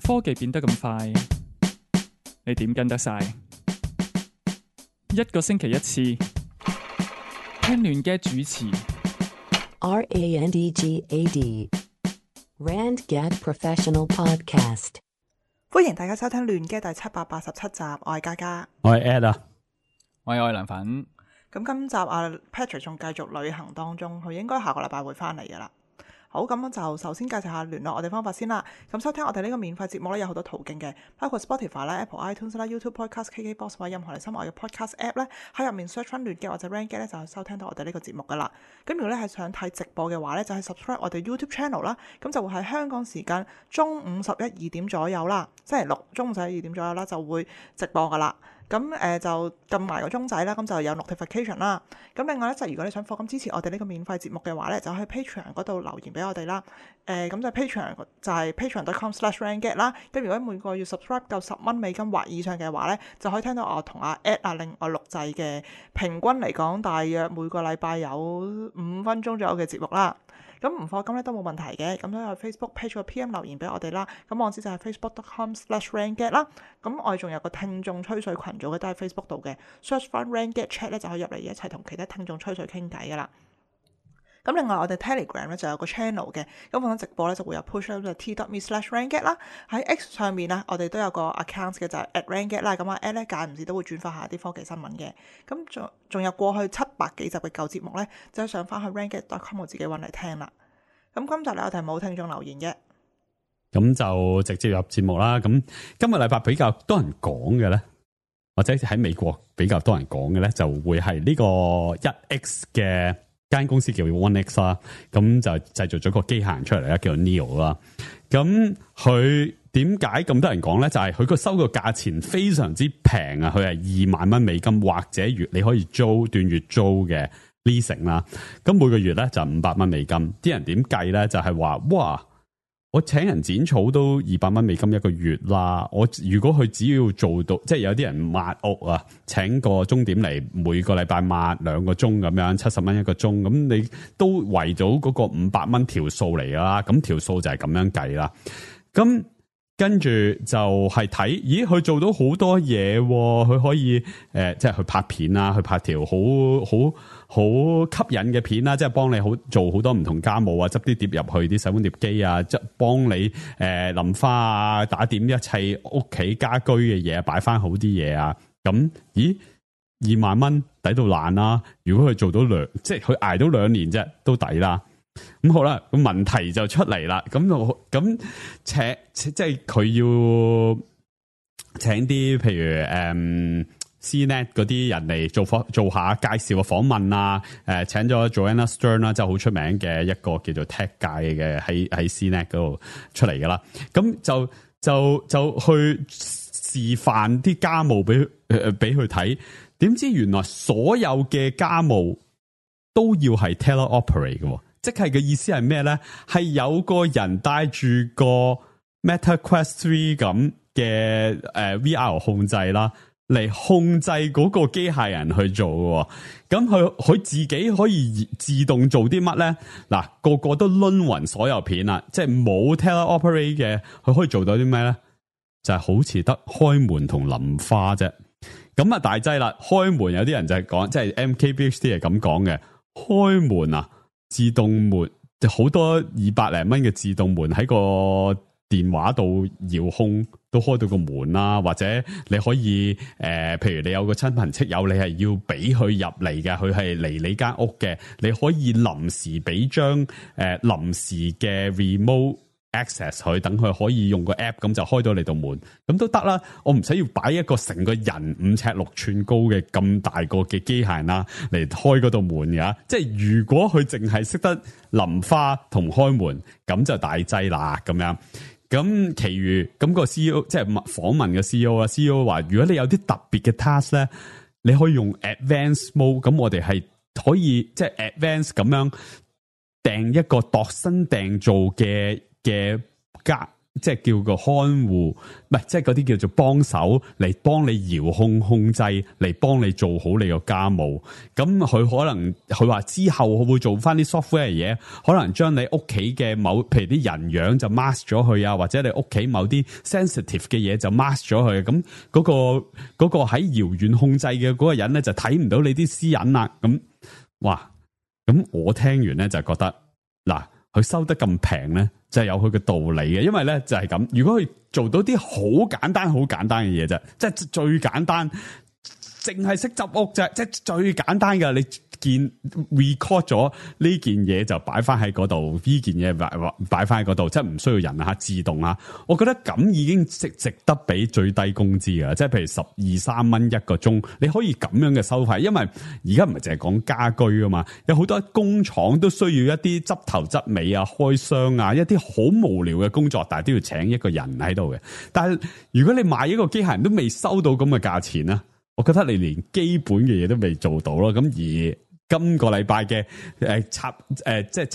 科技變得咁快，你點跟得晒？一個星期一次，聽亂嘅主持。RANDGAD RandGad Professional Podcast。歡迎大家收聽亂嘅第787集，我係嘉嘉，我係 Ed 啊，我係愛良粉。咁今集Patrick 仲繼續旅行當中，佢應該下個禮拜會翻嚟噶啦。好，咁就首先介紹下聯絡我哋方法先啦。咁收聽我哋呢個免費節目咧，有好多途徑嘅，包括 Spotify 啦、Apple iTunes 啦、YouTube Podcast、KKBox 或者任何你心愛嘅 Podcast App 咧，喺入面 search 翻亂嘅或者 RandGad 咧，就係收聽到我哋呢個節目噶啦。咁如果咧係想睇直播嘅話咧，就係 subscribe 我哋 YouTube channel 啦。咁就會喺香港時間中午11-2點左右啦，星期六中午11-2點左右啦，就會直播噶啦。咁就撳埋個鐘仔啦，咁就有 notification 啦。咁另外咧，就如果你想課金支持我哋呢個免費節目嘅話咧，就喺 Patreon 嗰度留言俾我哋啦。咁就 Patreon 就係 patreon.com/randgad 啦。咁如果每個月 subscribe 夠10蚊美金或以上嘅話咧，就可以聽到我同阿 Ed 另外錄製嘅平均嚟講，大約每個禮拜有5分鐘左右嘅節目啦。咁唔課金咧都冇問題嘅，咁都有 Facebook page 個 PM 留言俾我哋啦。咁網址就係 facebook.com/randgad 啦。咁我哋仲有個聽眾吹水群組嘅，都喺 Facebook 度嘅 ，search 翻 RandGad Chat 咧就可以入嚟一齊同其他聽眾吹水傾偈噶啦。咁另外我哋 Telegram 咧就有個 channel 嘅，咁放緊直播咧就會有 push up 就 t.me/randgad 啦。喺 X 上面啊，我哋都有個 account 嘅就係 @randgad 啦。咁啊 Ed 咧間唔時都會轉發下啲科技新聞嘅。咁仲有過去700幾集嘅舊節目咧，就上翻去 randgad.com 我自己揾嚟聽啦。咁今集咧我哋冇聽眾留言嘅，咁就直接入節目啦。咁今個禮拜比較多人講嘅咧，或者喺美國比較多人講嘅咧，就會係呢個 1X 嘅間公司叫 1X 啦。咁就製造咗個機械人出嚟啦，叫做 Neo 啦。咁佢點解咁多人講咧？就係佢個收個價錢非常之平啊！佢係2萬蚊美金，或者你可以租斷月租嘅。leasing 啦，咁每個月咧就500蚊美金。啲人點計咧？就係話，哇！我請人剪草都200蚊美金一個月啦。我如果佢只要做到，即係有啲人抹屋啊，請個鐘點嚟，每個禮拜抹2個鐘咁樣，70蚊一個鐘，咁你都為咗嗰個500蚊條數嚟㗎啦。咁條數就係咁樣計啦。咁跟住就係睇，咦？佢做到好多嘢，佢可以即係去拍片啦，去拍條好吸引嘅片啦，即係幫你做好多唔同家務啊，執啲碟入去啲洗碗碟機啊，即係幫你淋花啊，打點一切屋企家居嘅嘢，擺翻好啲嘢啊。咁咦，2萬蚊抵到爛啦！如果佢做到即係佢捱到2年啫，都抵啦。咁好啦，咁問題就出嚟啦。咁即係佢要請啲譬如CNET 嗰啲人嚟做下介紹嘅訪問啊。請咗 Joanna Stern 啦，即係好出名嘅一個叫做 Tech 界嘅喺 CNET 嗰度出嚟噶啦。咁就去示範啲家務俾佢睇。點知原來所有嘅家務都要係 teleoperate 嘅。即係嘅意思係咩咧？係有個人帶住個 Meta Quest 3咁嘅VR 控制啦，嚟控制嗰個機械人去做嘅。咁佢自己可以自動做啲乜咧？嗱，個個都掄勻所有片啦，即係冇 teleoperate 嘅，佢可以做到啲咩咧？就係好似得開門同淋花啫。咁啊大劑啦！開門有啲人就係講，即係 MKBHD 係咁講嘅，開門啊！自動門好多200零蚊嘅自動門喺個電話度遙控都開到個門啦，或者你可以譬如你有個親朋戚友，你係要俾佢入嚟嘅，佢係嚟你間屋嘅，你可以臨時俾張臨時嘅 remote access 佢，等佢可以用個 app 咁就開到你道門，咁都得啦。我唔使要擺一個成個人5尺6寸高嘅咁大個嘅機械人啦嚟開嗰道門㗎。即係如果佢淨係識得淋花同開門，咁就大劑啦咁樣。咁其餘咁個 CEO 即係訪問嘅 CEO 話，如果你有啲特別嘅 task 咧，你可以用 advanced mode。咁我哋係可以即係 advanced 咁樣訂一個度身訂造嘅即係叫個看護，唔係即係嗰啲叫做幫手嚟幫你遙控控制，嚟幫你做好你個家務。咁佢可能佢話之後佢會做翻啲 software 嘢，可能將你屋企嘅某譬如啲人樣就 mask 咗佢啊，或者你屋企某啲 sensitive 嘅嘢就 mask 咗佢。咁嗰個喺遙遠控制嘅嗰個人咧就睇唔到你啲私隱啦。咁哇，咁我聽完咧就覺得嗱。佢收得咁平咧，就係有佢嘅道理嘅，因為咧就係咁。如果佢做到啲好簡單嘅嘢啫，即係最簡單，淨係識執屋啫，即係最簡單嘅。你見 record 咗呢件嘢就擺翻喺嗰度，呢件嘢擺翻喺嗰度，即係唔需要人啊，自動啊。我覺得咁已經值得俾最低工資㗎，即係譬如12-13蚊一個鐘，你可以咁樣嘅收費，因為而家唔係淨係講家居啊嘛，有好多工廠都需要一啲執頭執尾啊、開箱啊，一啲好無聊嘅工作，但係都要請一個人喺度嘅。但係如果你買一個機械人都未收到咁嘅價錢咧，我覺得你連基本嘅嘢都未做到咯。咁而今個禮拜嘅即係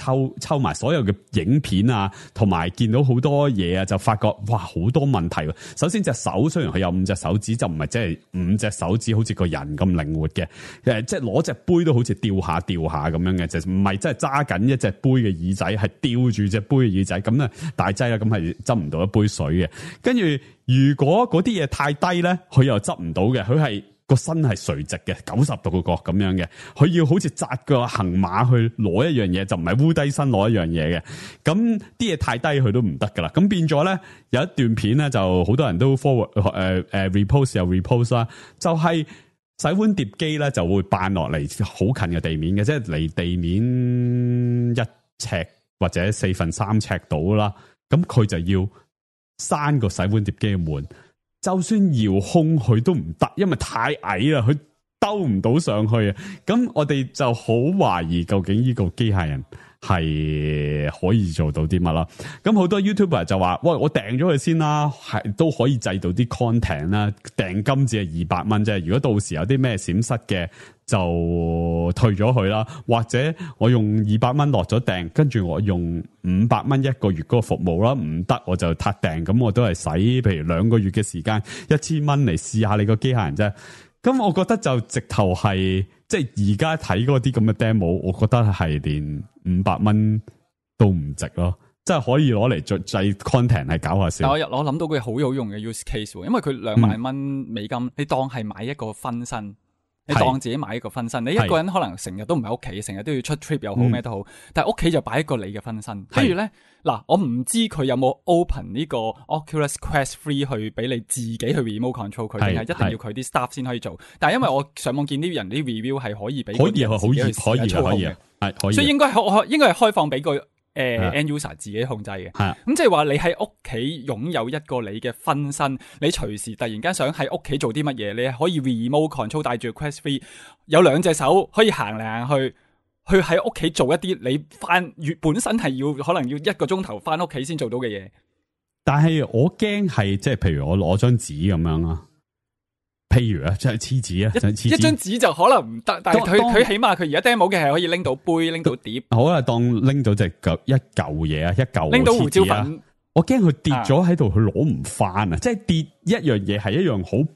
抽埋所有嘅影片啊，同埋見到好多嘢啊，就發覺哇好多問題。首先隻手雖然佢有5隻手指，就唔係即係5隻手指好似個人咁靈活嘅。即係攞隻杯都好似吊下咁樣嘅，就唔係真係揸緊一隻杯嘅耳仔，係吊住隻杯嘅耳仔。咁啊大劑啦，咁係執唔到一杯水嘅。跟住如果嗰啲嘢太低咧，佢又執唔到嘅，佢係。個身係垂直嘅，90度個角咁樣嘅，佢要好似紮個行馬去攞一樣嘢，就唔係烏低身攞一樣嘢嘅。咁啲嘢太低，佢都唔得噶啦。咁變咗咧，有一段片咧，就好多人都 forward repost 又 repost 啦，就係洗碗碟機咧就會扮落嚟好近嘅地面嘅，即係離地面1尺或者3/4尺到啦。咁佢就要閂個洗碗碟機嘅門。就算遙控佢都唔得，因為太矮啦，佢兜唔到上去啊！咁我哋就好懷疑究竟呢個機械人係可以做到啲乜啦？咁好多 YouTuber 就話：喂，我訂咗佢先啦，係都可以製到啲 content 啦。訂金只係200蚊啫，如果到時有啲咩閃失嘅，就退咗佢啦。或者我用200蚊落咗訂，跟住我用500蚊一個月嗰個服務啦，唔得我就撻訂，咁我都係使譬如2個月嘅時間1000蚊嚟試下你個機械人啫。咁我覺得就直頭係即係而家睇嗰啲咁嘅 demo， 我覺得係連500蚊都唔值咯，即係可以攞嚟製 content 係搞下笑。但我諗到個好有用嘅 use case， 因為佢2萬蚊美金，你當係買一個分身。你當自己買一個分身，你一個人可能成日都唔喺屋企，成日都要出 trip 又好咩都好，但係屋企就擺一個你嘅分身。跟住咧，嗱，我唔知佢有冇 open 呢個 Oculus Quest 3去俾你自己去 remote control 佢，定係一定要佢啲 staff 先可以做。但係因為我上網見啲人啲 review 係可以俾，可以嘅，係，所以應該係開放俾個。end user 自己控制嘅，咁即係話你喺屋企擁有一個你嘅分身，你隨時突然間想喺屋企做啲乜嘢，你可以 remote control 帶住 Quest 3，有2隻手可以行嚟行去喺屋企做一啲你本身係可能要1個鐘頭翻屋企先做到嘅嘢。但係我驚係即係譬如我攞張紙咁樣啦。譬如啊，即係黐紙啊，一張紙就可能唔得，但係佢起碼佢而家 demo 嘅係可以拎到杯，拎到碟。好啦，當拎到隻一嚿嘢啊，一嚿拎到胡椒粉，我驚佢跌咗喺度，佢攞唔翻啊！即係跌一樣嘢係一樣好，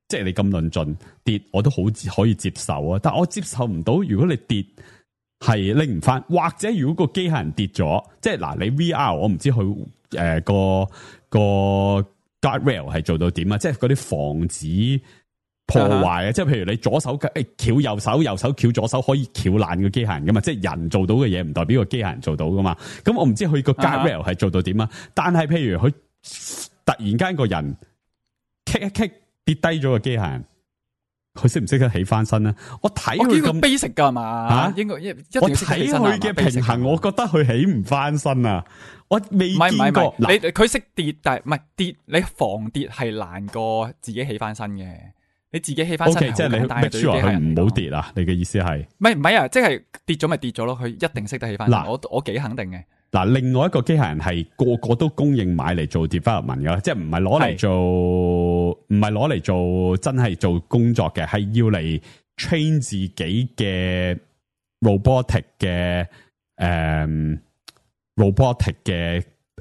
即係你咁論盡跌，我都好可以接受啊。但係我接受唔到，如果你跌係拎唔翻，或者如果個機械人跌咗，即係嗱，你 VR 我唔知佢個。Guardrail 係做到點啊？即係嗰啲防止破壞啊！即係譬如你左手翹右手，右手翹左手，可以翹爛個機械人噶嘛？即係人做到嘅嘢，唔代表個機械人做到噶嘛？咁我唔知佢個 Guardrail 係做到點啊？但係譬如佢突然間個人棘一棘跌低咗個機械人，佢識唔識得起翻身咧？我睇佢咁 basic 噶嘛？吓，應該我睇佢嘅平衡，我覺得佢起唔翻身啊！我未見過，你佢識跌，但係唔係跌，你防跌係難過自己起翻身嘅。你自己起翻身係好簡單嘅，對於機械人唔好跌啊！你嘅意思係？唔係啊，即係跌咗咪跌咗咯，佢一定識得起翻身。我幾肯定嘅。嗱，另外一個機械人係個個都供應買嚟做 development 噶，即係唔係攞嚟做真係做工作嘅，係要嚟 train 自己嘅 robotic 嘅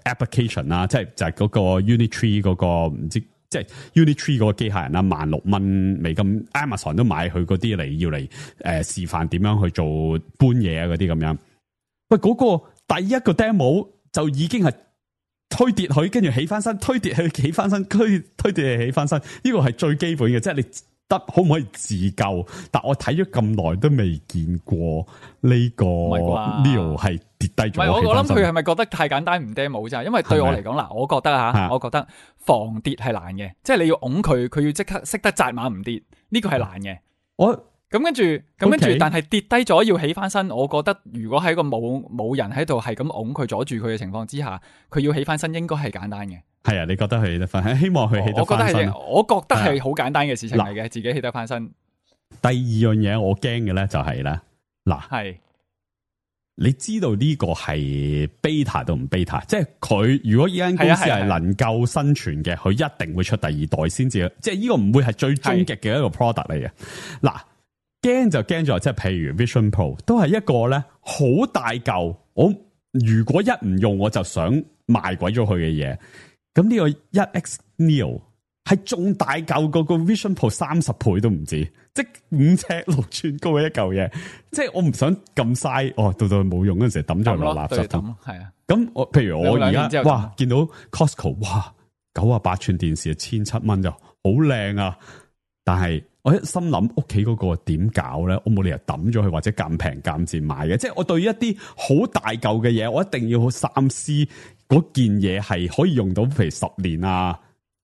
application 啦，即係就係嗰個 Unitree 嗰個唔知，即係 Unitree 嗰個機械人啦，$16,000 ，Amazon 都買佢嗰啲嚟要嚟示範點樣去做搬嘢啊嗰啲咁樣。喂，嗰個第一個 demo 就已經係推跌佢，跟住起翻身，推跌佢起翻身，推跌佢起翻身，呢個係最基本嘅，即係你得可唔可以自救？但我睇咗咁耐都未見過呢個 Neo 係跌低咗。唔係，我諗佢係咪覺得太簡單唔 demo 咋？因為對我嚟講嗱，我覺得我覺得防跌係難嘅，即係你要拱佢，佢要即刻識得紮馬唔跌，呢個係難嘅。咁跟住，但係跌低咗要起翻身，我覺得如果喺個冇人喺度係咁拱佢阻住佢嘅情況之下，佢要起翻身應該係簡單嘅。係啊，你覺得佢起得翻？希望佢起得翻身。我覺得係好簡單嘅事情嚟嘅，自己起得翻身。第二樣嘢我驚嘅咧就係咧，係你知道呢個係 beta 都唔 beta， 即係佢如果呢間公司係能夠生存嘅，佢一定會出第二代先至，即係呢個唔會係最終極嘅一個 product 嚟嘅。驚就驚咗，即係譬如 Vision Pro 都係一個咧好大嚿，我如果一唔用我就想賣鬼咗佢嘅嘢。咁呢個 1X Neo 係仲大嚿過個 Vision Pro 30倍都唔止，即係5尺6寸高嘅一嚿嘢。即係我唔想咁嘥，到冇用嗰陣時抌咗落垃圾桶。係啊，咁我譬如我而家哇見到 Costco 哇98寸電視$1,700就好靚啊，但係我一心諗屋企嗰個點搞咧？我冇理由抌咗佢或者咁平咁賤買嘅。即係我對於一啲好大嚿嘅嘢，我一定要好三思嗰件嘢係可以用到，譬如10年啊、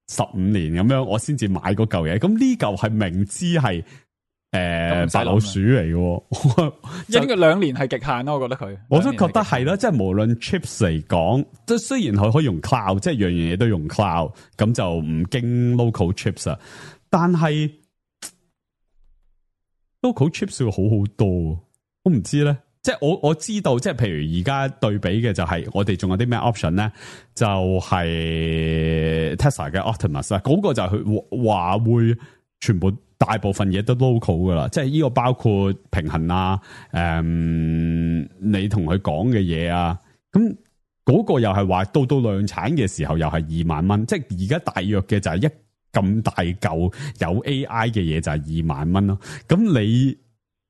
15年咁樣，我先至買嗰嚿嘢。咁呢嚿係明知係白老鼠嚟嘅，應該2年係極限咯。我覺得佢，我都覺得係啦。即係無論 chips 嚟講，即係雖然佢可以用 cloud，即係樣樣嘢都用 cloud，咁就唔經 local chips 啊，但係。local chips 會好好多，我唔知咧，即係我知道，即係譬如而家對比嘅就係我哋仲有啲咩 option 咧，就係 Tesla 嘅 Optimus 啊，嗰個就係佢話會全部大部分嘢都 local 噶啦，即係呢個包括平衡啊，你同佢講嘅嘢啊，咁嗰個又係話到量產嘅時候又係$20,000，即係而家大約嘅就係咁大嚿有 AI 嘅嘢就係$20,000咯。咁你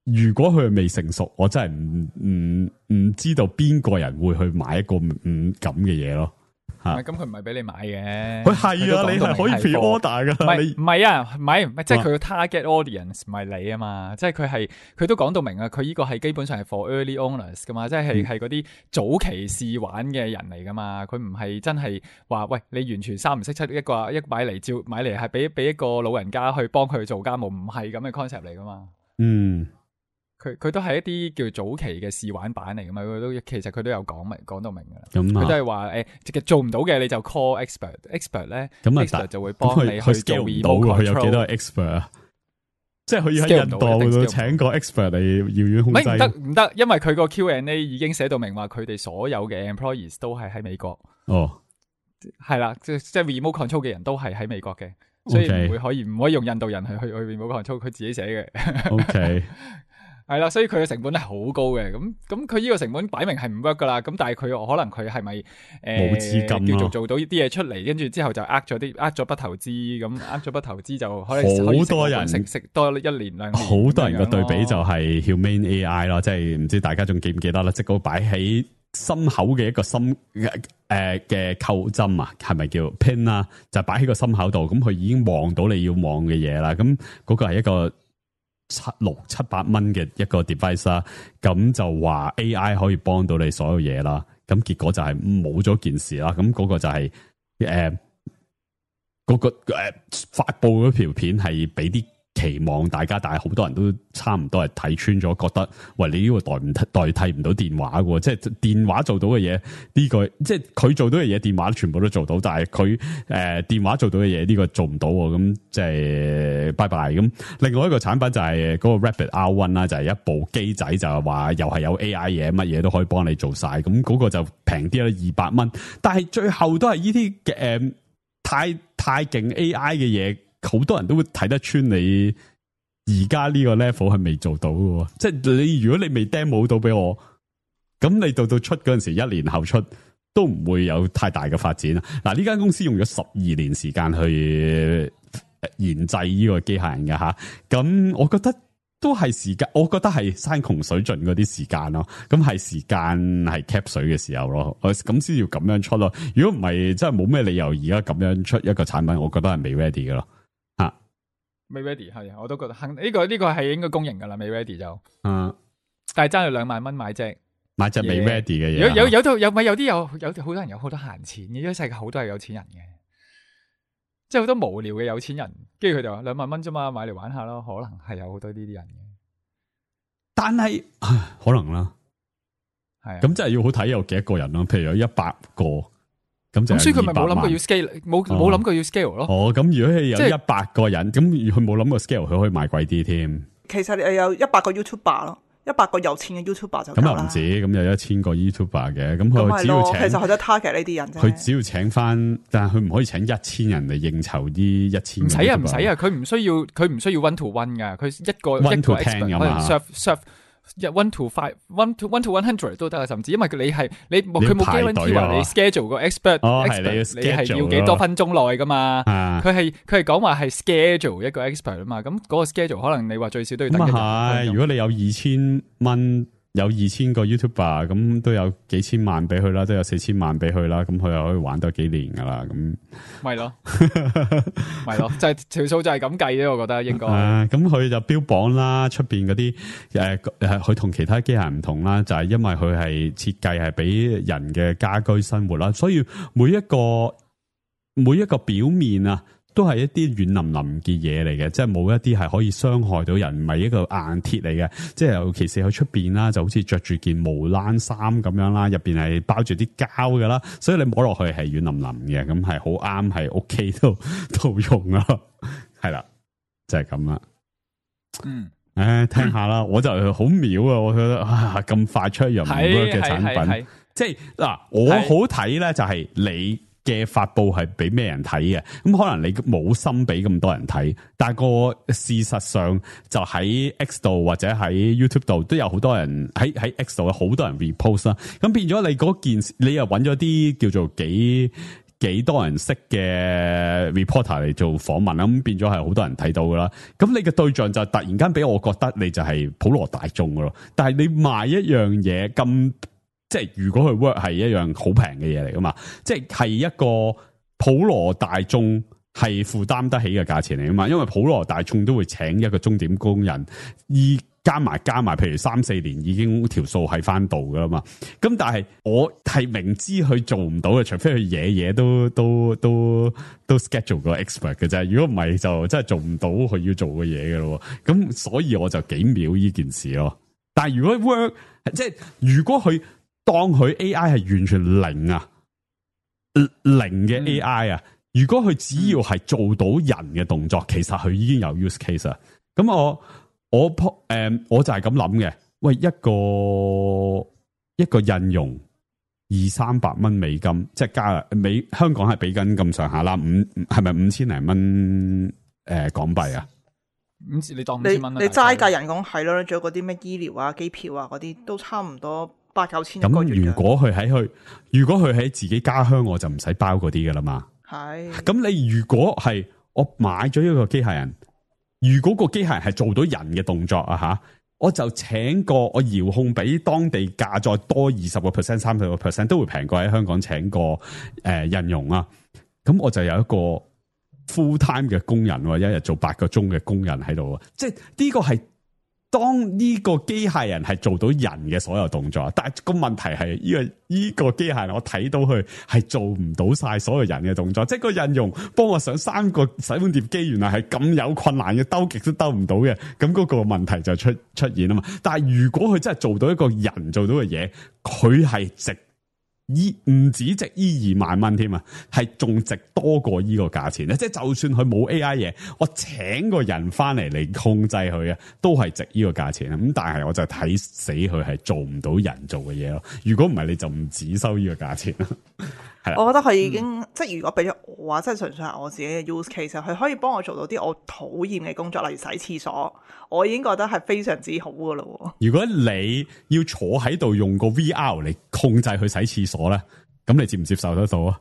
如果佢未成熟，我真係唔知道邊個人會去買一個咁嘅嘢咯。咁佢唔係俾你買嘅，佢係啊，你係可以 pre-order 噶。唔係啊，唔係，即係佢個 target audience 唔係你啊嘛，即係佢都講到明啊，佢呢個係基本上係 for early owners 噶嘛，即係嗰啲早期試玩嘅人嚟噶嘛，佢唔係真係話喂你完全三唔識七一買嚟係俾一個老人家去幫佢做家務，唔係咁嘅 concept 嚟噶嘛。佢都係一啲叫早期嘅試玩版嚟噶嘛，其實佢都有講到明噶啦。佢都係話做唔到嘅你就 call expert 咧，expert 就會幫你去做 remote control。佢有幾多個 expert 啊？即係佢要喺印度度請個 expert 嚟遙遠控制。唔得，因為佢個 Q&A 已經寫到明話，佢哋所有嘅 employees 都係喺美國。係啦，即係 remote control 嘅人都係喺美國嘅，所以唔可以用印度人去 remote control，佢自己寫嘅。OK。係啦，所以佢嘅成本係好高嘅，咁佢呢個成本擺明係唔 work 噶啦，咁但係佢可能佢係咪冇資金叫做做到啲嘢出嚟，跟住之後就呃咗筆投資，咁呃咗筆投資就可能好多人食多1年2年，好多人嘅對比就係 Humane AI 咯，即係唔知大家仲記唔記得啦，即係嗰個擺喺心口嘅一個心嘅扣針啊，係咪叫 pin 啊？就擺喺個心口度，咁佢已經望到你要望嘅嘢啦，咁嗰個係一個600-700蚊嘅一個 device 啦，咁就話 AI 可以幫到你所有嘢啦，咁結果就係冇咗件事啦，咁嗰個就係發布嗰條片係俾啲期望大家，但係好多人都差唔多係睇穿咗，覺得喂，你呢個代替唔到電話嘅，即係電話做到嘅嘢，呢個即係佢做到嘅嘢，電話全部都做到，但係佢電話做到嘅嘢呢個做唔到，咁即係拜拜。咁另外一個產品就係嗰個 Rabbit R1 啦，就係一部機仔，就係話又係有 AI 嘢，乜嘢都可以幫你做晒，咁嗰個就平啲啦，$200，但係最後都係呢啲嘅太勁 AI 嘅嘢。好多人都會睇得穿你而家呢個 level 係未做到嘅，即係你如果你未 demo 到俾我，咁你到出嗰陣時，1年後出都唔會有太大嘅發展。嗱，呢間公司用咗12年時間去研製呢個機械人嘅吓，咁我覺得都係時間，我覺得係山窮水盡嗰啲時間咯。咁係時間係 cap 水嘅時候咯，咁先要咁樣出咯。如果唔係，真係冇咩理由而家咁樣出一個產品，我覺得係未 ready 嘅咯。吓，未 ready 係，我都覺得肯呢個係應該公認噶啦，未 ready 就。但係爭咗2萬蚊買隻未 ready 嘅嘢。有啲好多人有好多閒錢嘅，呢個世界好多係有錢人嘅。即係好多無聊嘅有錢人，跟住佢就話2萬蚊啫嘛，買嚟玩下咯，可能係有好多呢啲人嘅。但係可能啦，係咁真係要好睇有幾多個人咯。譬如有100個，咁就所以佢咪冇諗過要 scale， 冇諗過要 scale 咯。咁如果係有100個人，咁佢冇諗過 scale，佢可以賣貴啲添。其實你有100個 YouTuber 咯。100個有錢嘅 YouTuber 就夠啦。咁又唔止，咁有1000個 YouTuber 嘅，咁佢只要請，其實佢都 target 呢啲人啫。佢只要請翻，但係佢唔可以請1000人嚟應酬啲1000。唔使啊，唔使啊，佢唔需要 one to one 噶，佢一個 one to 10咁啊 serve 1 to 5 1 to 100都得啊，甚至因為佢冇 guarantee 話你 schedule 個 expert， 你係要幾多分鐘內噶嘛？佢係講話係 schedule 一個 expert 啊嘛，咁嗰個 schedule 可能你話最少都要等1分鐘。如果你有2000蚊，有2000個 YouTuber， 咁都有幾千萬俾佢啦，都有4000萬俾佢啦，咁佢又可以玩多幾年噶啦，咁咪咯，咪咯，就係條數就係咁計啫，我覺得應該。咁佢就標榜啦，出邊嗰啲佢同其他機械人唔同啦，就係因為佢係設計係俾人嘅家居生活啦，所以每一個表面啊，都係一啲軟腍腍嘅嘢嚟嘅，即係冇一啲係可以傷害到人，唔係一個硬鐵嚟嘅。即係尤其是喺出邊啦，就好似着住件無冷衫咁樣啦，入邊係包住啲膠噶啦，所以你摸落去係軟腍腍嘅，咁係好啱喺屋企度用啊，係啦，就係咁啦。聽下啦，我就好秒啊，我覺得咁快出一樣唔 work 嘅產品，即係嗱，我好睇咧，就係你嘅發布係俾咩人睇嘅？咁可能你冇心俾咁多人睇，但係個事實上就喺 X 度或者喺 YouTube 度都有好多人喺 X 度有好多人 repost 啦。咁變咗你嗰件事，你又揾咗啲叫做幾多人識嘅 reporter 嚟做訪問啦。咁變咗係好多人睇到噶啦。咁你嘅對象就突然間俾我覺得你就係普羅大眾噶咯。但係你賣一樣嘢咁。即係如果佢 work 係一樣好平嘅嘢嚟噶嘛，即係一個普羅大眾係負擔得起嘅價錢嚟噶嘛，因為普羅大眾都會請一個鐘點工人，加埋，譬如3-4年已經條數係翻到噶啦嘛。咁但係我係明知佢做唔到嘅，除非佢嘢都 schedule 個 expert 嘅啫。如果唔係就真係做唔到佢要做嘅嘢嘅咯。咁所以我就幾秒呢件事咯。但係如果 work， 即係如果佢當佢 AI 係完全零啊，零嘅 AI 啊，如果佢只要係做到人嘅動作，其實佢已經有 use case 啊。咁我就係咁諗嘅。喂，一個印傭200-300蚊美金，即係香港係俾緊咁上下啦，係咪5000零蚊港幣啊？你當5000蚊啦，你齋計人工係咯，仲有嗰啲咩醫療啊、機票啊嗰啲都差唔多8-9千一個月。咁如果佢喺自己家鄉，我就唔使包嗰啲噶啦嘛。係。咁你如果係我買咗一個機械人，如果個機械人係做到人嘅動作啊吓，我就請個我遙控比當地價再多20%、30%都會平過喺香港請個印傭啊。咁我就有一個 full time 嘅工人，一日做8個鐘嘅工人喺度，即係呢個係。當呢個機械人係做到人嘅所有動作，但係個問題係呢個機械人我睇到佢係做唔到晒所有人嘅動作，即係個印傭幫我上3個洗碗碟機，原來係咁有困難嘅，兜極都兜唔到嘅，咁嗰個問題就出現啊嘛。但係如果佢真係做到一個人做到嘅嘢，佢係值唔止值2萬蚊添啊，係仲值多過呢個價錢咧。即係就算佢冇 AI 嘢，我請個人翻嚟控制佢啊，都係值呢個價錢啊。咁但係我就睇死佢係做唔到人做嘅嘢咯。如果唔係，你就唔止收呢個價錢啦。我覺得佢已經、即係如果俾咗我話，即係純粹係我自己嘅 use case，佢可以幫我做到啲我討厭嘅工作，例如洗廁所，我已經覺得係非常之好噶咯。如果你要坐喺度用個 VR 嚟控制去洗廁所咧，咁你接唔接受得到啊？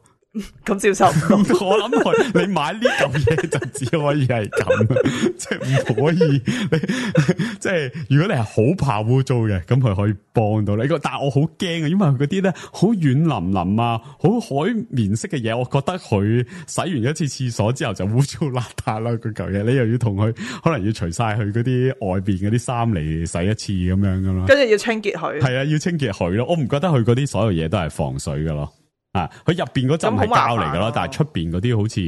咁接受唔到。我諗佢你買呢嚿嘢就只可以係咁，即係唔可以你即係如果你係好怕污糟嘅，咁佢可以幫到你。但係我好驚啊，因為佢嗰啲咧好軟腍腍啊，好海綿式嘅嘢，我覺得佢洗完一次廁所之後就污糟邋遢啦。嗰嚿嘢你又要同佢可能要除晒佢嗰啲外邊嗰啲衫嚟洗一次咁樣噶咯，跟住要清潔佢。係啊，要清潔佢咯。我唔覺得佢嗰啲所有嘢都係防水噶咯。啊！佢入邊嗰陣係膠嚟噶咯，但係出邊嗰啲好似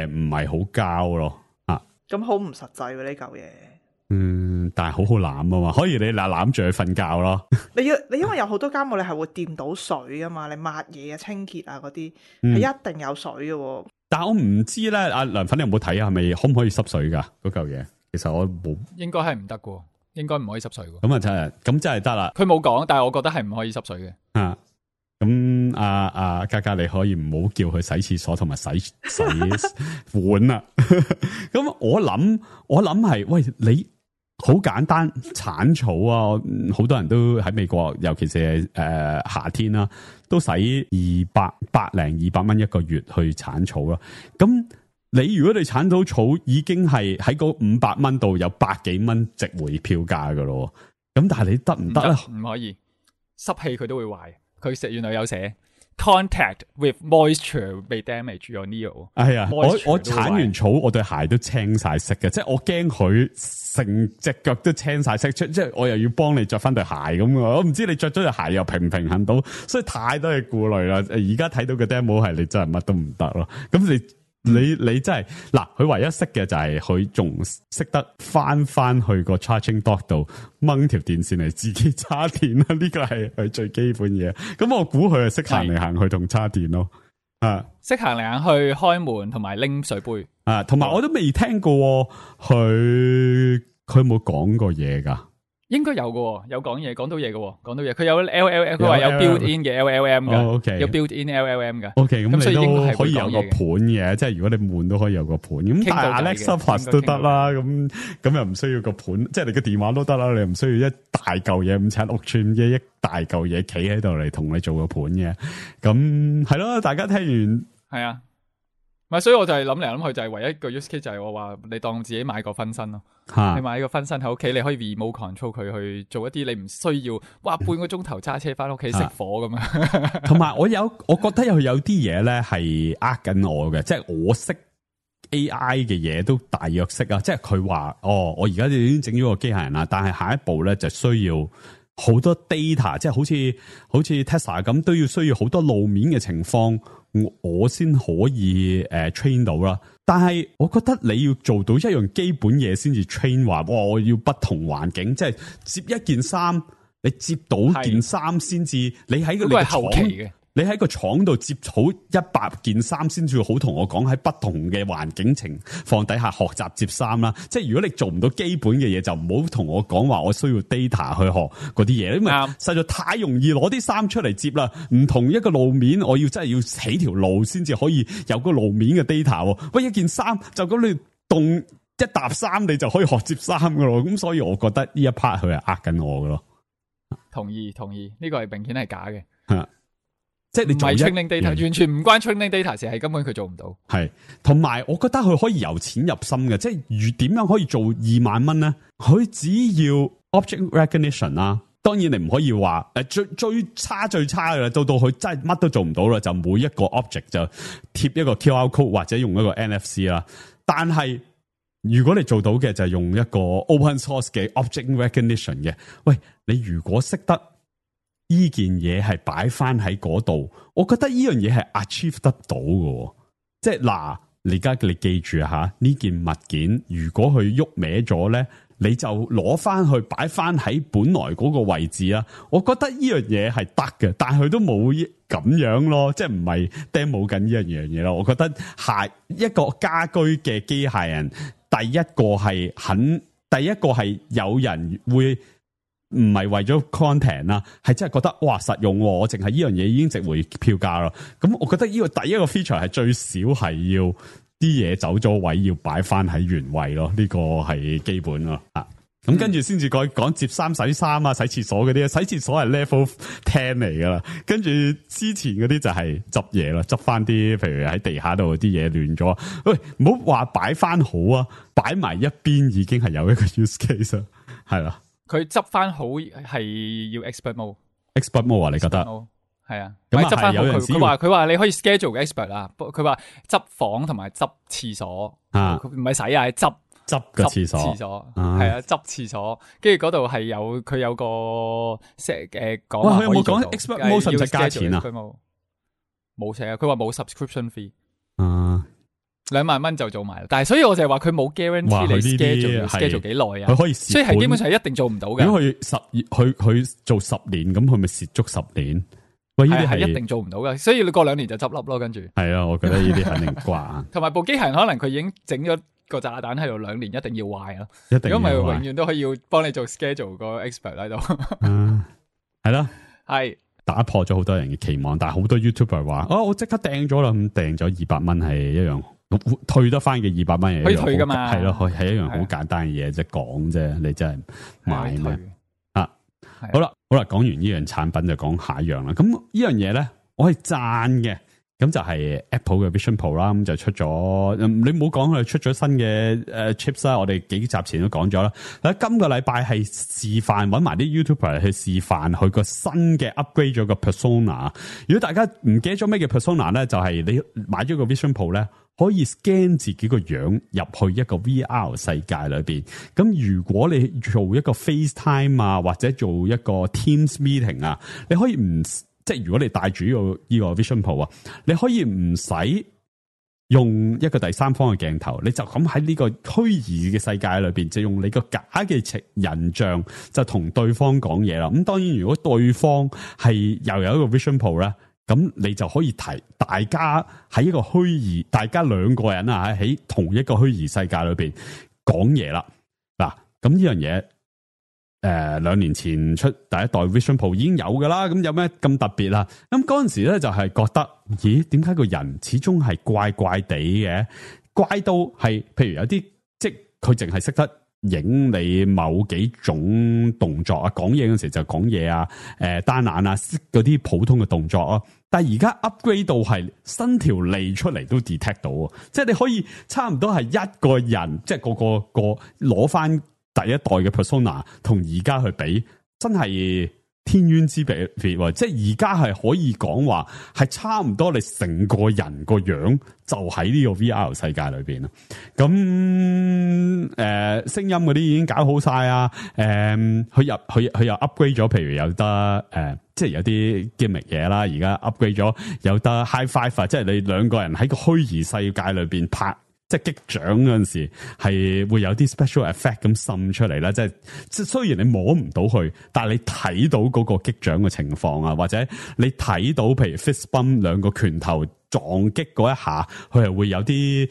唔係好膠咯。啊，咁好唔實際喎呢嚿嘢。但係好好攬啊嘛，可以你攬住佢瞓覺咯。你因為有好多家務你係會掂到水噶嘛，你抹嘢啊、清潔啊嗰啲係一定有水嘅。但係我唔知咧，阿梁粉你有冇睇啊？係咪可唔可以濕水噶嗰嚿嘢？其實我冇，應該係唔得嘅，應該唔可以濕水嘅。咁啊真係，咁真係得啦。佢冇講，但係我覺得係唔可以濕水嘅。啊。咁嘉嘉你可以唔好叫佢洗廁所同埋洗碗啦。咁我諗係，喂，你好簡單鏟草啊，好多人都喺美國，尤其是夏天啦，都使200蚊一個月去鏟草啦。咁你如果你鏟到草，已經係喺嗰500蚊度有100幾蚊值回票價噶咯。咁但係你得唔得咧？唔可以，濕氣佢都會壞。佢原來有寫 contact with moisture may damage your nail。係啊，我鏟完草，我對鞋都青晒色嘅，即係我驚佢成隻腳都青晒色，即係我又要幫你着翻對鞋咁啊！我唔知你着咗對鞋又平唔平衡到，所以太多嘅顧慮啦。而家睇到嘅 demo 係你真係乜都唔得咯。咁你真係嗱，佢唯一識嘅就係佢仲識得翻去個 charging dock 度掹條電線嚟自己叉電啦，呢個係佢最基本嘢。咁我估佢係識行嚟行去同叉電咯，啊，識行嚟行去開門同埋拎水杯啊，同埋我都未聽過佢有冇講過嘢噶。應該有嘅，有講嘢，講到嘢嘅，佢有 LLM， 佢話有 build in 嘅 LLM 嘅，有 build in LLM 嘅。OK， 咁所以應該係可以有個盤嘅，即係如果你悶都可以有個盤。咁但係 Alexa Plus 都得啦，咁又唔需要個盤，即係你個電話都得啦，你又唔需要一大嚿嘢5尺6寸嘅一大嚿嘢企喺度嚟同你做個盤嘅。咁係咯，大家聽完係啊。唔係，所以我就係諗嚟諗去，就係唯一一個 use case 就係我話你當自己買個分身咯，你買個分身喺屋企，你可以 remote control 佢去做一啲你唔需要，哇半個鐘頭揸車翻屋企熄火咁樣。同埋我覺得有啲嘢咧係呃緊我嘅，即係我識 AI 嘅嘢都大約識啊，即係佢話我而家已經整咗個機械人啦，但係下一步咧就需要好多 data， 即係好似 Tesla 咁，都要需要好多路面嘅情況。我先可以train 到啦，但係我覺得你要做到一樣基本嘢先至 train 話，我要不同環境，即係接一件衫，你接到件衫先至，你喺個後期嘅。你喺個廠度接好100件衫先至好同我講喺不同嘅環境情況底下學習接衫啦。即係如果你做唔到基本嘅嘢，就唔好同我講話我需要 data 去學嗰啲嘢，因為實在太容易攞啲衫出嚟接啦。唔同一個路面，我要真係要起條路先至可以有個路面嘅 data。喂，一件衫就咁你凍一沓衫，你就可以學接衫噶咯。咁所以我覺得呢一 part 佢係呃緊我噶咯。同意，呢個係明顯係假嘅。即係你做唔係 training data，完全唔關 training data 事，係根本佢做唔到。係，同埋我覺得佢可以由淺入深嘅，即係點樣可以做2萬蚊咧？佢只要 object recognition 啦，當然你唔可以話最差嘅啦，到佢真係乜都做唔到啦，就每一個 object 就貼一個 QR code 或者用一個 NFC 啦。但係如果你做到嘅就係用一個 open source 嘅 object recognition 嘅，喂，你如果識得。呢件嘢係擺翻喺嗰度，我覺得呢樣嘢係 achieve 得到嘅，即係嗱，而家你記住吓，呢件物件如果佢喐歪咗咧，你就攞翻去擺翻喺本來嗰個位置啦。我覺得呢樣嘢係得嘅，但係佢都冇咁樣咯，即係唔係 demo 緊呢樣嘢咯。我覺得下一個家居嘅機械人，第一個係有人會。唔係為咗 content 啦，係真係覺得哇實用，我淨係呢樣嘢已經值回票價咯。咁我覺得呢個第一個 feature 係最少係要啲嘢走咗位，要擺翻喺原位咯。呢個係基本咯。咁跟住先至講接衫、洗衫啊、洗廁所嗰啲，洗廁所係 level 10嚟噶啦。跟住之前嗰啲就係執嘢啦，執翻啲譬如喺地下度啲嘢亂咗，喂，唔好話擺翻好啊，擺埋一邊已經係有一個 use case 啦，係啦。佢執翻好係要 expert mode 啊？你覺得？係啊，咁執翻好佢話你可以 schedule 嘅 expert 啦，佢話執房同埋執廁所啊，唔係洗啊，執個廁所，係啊，執廁所，跟住嗰度係佢有個講。哇，佢有冇講 expert mode 使唔使加錢啊？冇寫啊，佢話冇 subscription fee。2萬蚊就做埋，但係所以我就係話佢冇 guarantee 你 schedule 幾耐啊，佢可以，所以係基本上一定做唔到嘅。如果佢做10年，咁佢咪蝕足10年？喂，呢啲係一定做唔到嘅，所以你過2年就執笠咯，跟住。係啊，我覺得呢啲肯定掛。同埋部機械人可能佢已經整咗個炸彈喺度2年，一定要壞咯。一定要壞，如果唔係永遠都可以幫你做 schedule 個 expert 喺度。係咯，係打破咗好多人嘅期望，但係好多 YouTuber 話：我即刻訂咗啦，咁訂咗200蚊係一樣。退得翻嘅200蚊可以退噶嘛？係咯，係一樣好簡單嘅嘢，即係講啫。你真係買咩啊？好啦，講完呢樣產品就講下一樣啦。咁呢樣嘢咧，我係讚嘅。咁就係 Apple 嘅 Vision Pro 啦，咁就出咗。你唔好講佢出咗新嘅chips 啦，我哋幾集前都講咗啦。今個禮拜係示範，揾埋啲 YouTuber 去示範佢個新嘅 upgrade 咗個 Persona。如果大家唔記得咗咩叫 Persona 咧，就係你買咗個 Vision Pro 咧，可以 scan 自己個樣入去一個 VR 世界裏邊。咁如果你做一個 FaceTime 啊，或者做一個 Teams meeting 啊，你可以唔即係如果你帶住呢個 Vision Pro 啊，你可以唔使用一個第三方嘅鏡頭，你就咁喺呢個虛擬嘅世界裏邊，就用你個假嘅人像就同對方講嘢啦。咁當然，如果對方係又有一個 Vision Pro 咧，咁你就可以提大家喺一個虛擬，大家2個人啊喺同一個虛擬世界裏邊講嘢啦。嗱，咁呢樣嘢。2年前出第一代 Vision Pro 已經有噶啦，咁有咩咁特別啊？咁嗰陣時咧就係覺得，咦，點解個人始終係怪怪地嘅？怪到係，譬如有啲即係佢淨係識得影你某幾種動作啊，講嘢嗰陣時就講嘢啊，單眼啊，嗰啲普通嘅動作啊。但係而家 upgrade 到係伸條脷出嚟都 detect 到，即係你可以差唔多係一個人，即係個攞翻。第一代嘅 Persona 同而家去比，真係天淵之別，即係而家係可以講話係差唔多，你成個人個樣就喺呢個 VR 世界裏邊啦。咁聲音嗰啲已經搞好晒啊！佢又 upgrade 咗，譬如有得即係有啲 gimmick 嘢啦。而家 upgrade 咗有得 high five， 即係你2個人喺個虛擬世界裏邊拍。即係擊掌嗰陣時，係會有啲 special effect 咁滲出嚟啦。即係雖然你摸唔到佢，但係你睇到嗰個擊掌嘅情況啊，或者你睇到譬如 fist bump 2個拳頭撞擊嗰一下，佢係會有啲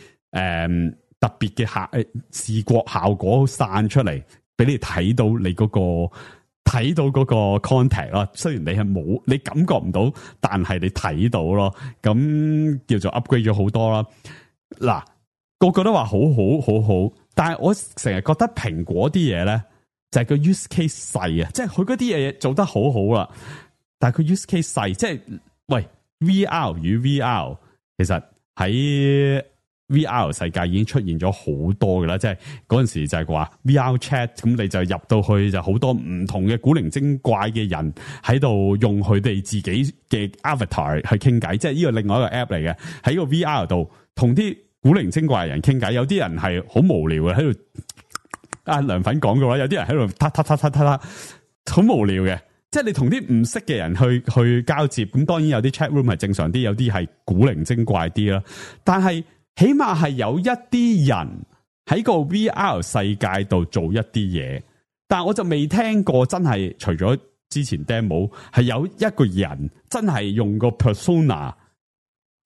特別嘅視覺效果散出嚟，俾你睇到你嗰個 contact 啦。雖然你係冇，你感覺唔到，但係你睇到咯。咁叫做 upgrade 咗好多啦。嗱。個個都話好，但係我成日覺得蘋果啲嘢咧就係個 use case 細啊，即係佢嗰啲嘢做得好啦，但係佢 use case 細，即係喂 VR 與 VR， 其實喺 VR 世界已經出現咗好多噶啦，即係嗰陣時就係話 VR chat， 咁你就入到去就好多唔同嘅古靈精怪嘅人喺度用佢哋自己嘅 avatar 去傾偈，即係呢個另外一個 app 嚟嘅，喺個 VR 度同啲古靈精怪嘅人傾偈，有啲人係好無聊嘅喺度。涼粉講嘅話，有啲人喺度嗒，好無聊嘅。即係你同啲唔識嘅人去交接，咁當然有啲 chat room 係正常啲，有啲係古靈精怪啲啦。但係起碼係有一啲人喺個 VR 世界度做一啲嘢，但係我就未聽過真係除咗之前 demo 係有一個人真係用個 persona。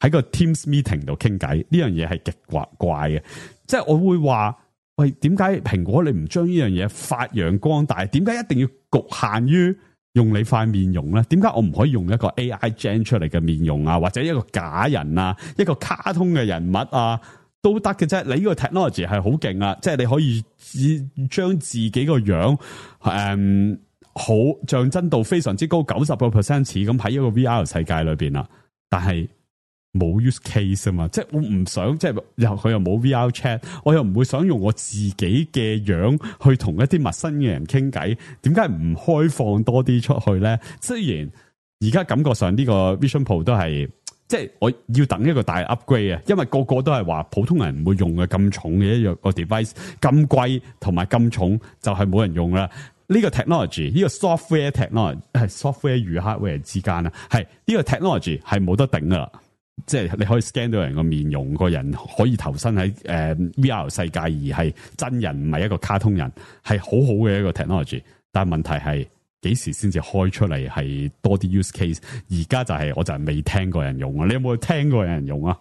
喺個 Teams meeting 度傾偈，呢樣嘢係極怪嘅，即係我會話，喂，點解蘋果你唔將呢樣嘢發揚光大？點解一定要局限於用你塊面容咧？點解我唔可以用一個 AI gen 出嚟嘅面容啊，或者一個假人啊，一個卡通嘅人物啊，都得嘅啫。你呢個 technology 係好勁啊，即係你可以將自己個樣好像真度非常之高，90% 似咁喺一個 VR 世界裏邊啦。但係冇 use case 啊嘛，即係我唔想，即係佢又冇 VR chat， 我又唔會想用我自己嘅樣去同一啲陌生嘅人傾偈，點解唔開放多啲出去咧？雖然而家感覺上呢個 Vision Pro 都係，即係我要等一個大 upgrade 啊，因為個個都係話普通人唔會用嘅咁重嘅一樣個 device， 咁貴同埋咁重就係冇人用啦。呢個 technology， 呢個 software technology 係 software 與 hardware 之間啊，係呢個 technology 係冇得頂噶啦。即係你可以 scan 到人個面容，個人可以投身喺VR 世界，而係真人，唔係一個卡通人，係好好嘅一個 technology。但係問題係幾時先至開出嚟係多啲 use case？ 而家就係我就係未聽過人用啊！你有冇聽過有人用啊？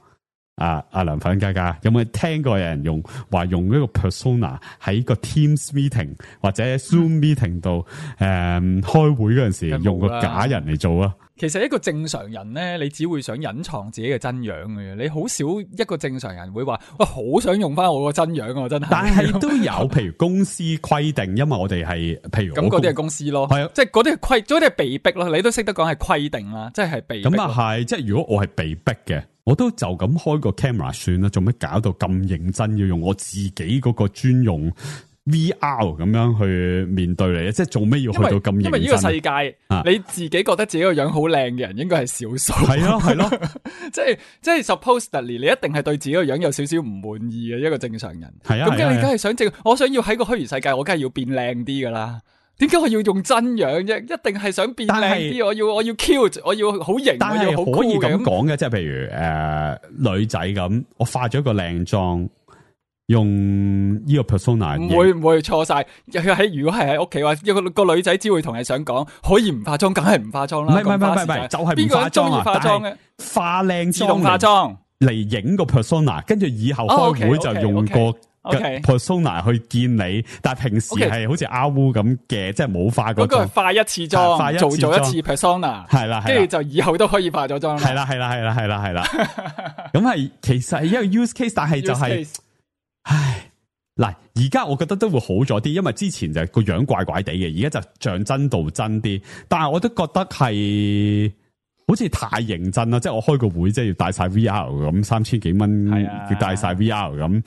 阿梁粉嘉嘉有冇聽過有人用話用一個 persona 喺個 Teams meeting 或者 Zoom meeting 度開會嗰陣時用個假人嚟做啊？其實一個正常人咧，你只會想隱藏自己嘅真樣嘅，你好少一個正常人會話，哇，好想用翻我個真樣啊！真係。但係都有，譬如公司規定，因為我哋係，譬如咁嗰啲係公司咯，係啊，即係嗰啲係規，嗰啲係被逼咯。你都識得講係規定啦，即係被逼。咁啊係，即係如果我係被逼嘅，我都就咁開個 camera 算啦，做咩搞到咁認真要用我自己嗰個專用 VR 咁樣去面對你？即係做咩要去到咁認真？因為呢個世界，你自己覺得自己個樣好靚嘅人，應該係少數。係咯，係咯，即係 supposedly 你一定係對自己個樣有少少唔滿意嘅一個正常人。係啊，咁你梗係想我想要喺個虛擬世界，我梗係要變靚啲噶啦。點解我要用真樣啫？一定係想變靚啲，我要 cute， 我要好型，但係可以咁講嘅，即係譬如女仔咁，我化咗個靚妝。用呢個 persona 唔會錯晒。如果係喺屋企話，個女仔只會同你想講，可以唔化妝，梗係唔化妝啦。唔係，就係唔化妝啊！化妝嘅化靚妝，自動化妝嚟影個 persona， 跟住以後開會就用個 persona 去見你。但係平時係好似阿烏咁嘅，即係冇化過妝。嗰個係化一次妝，做咗一次 persona， 係啦，跟住就以後都可以化咗妝。係啦。咁係其實係一個 use case， 但係就係。唉，嗱，而家我覺得都會好咗啲，因為之前就個樣怪怪地嘅，而家就像真度真啲。但係我都覺得係好似太認真啦，即係我開個會即係要帶晒 VR 咁，3000幾蚊要帶晒 VR 咁。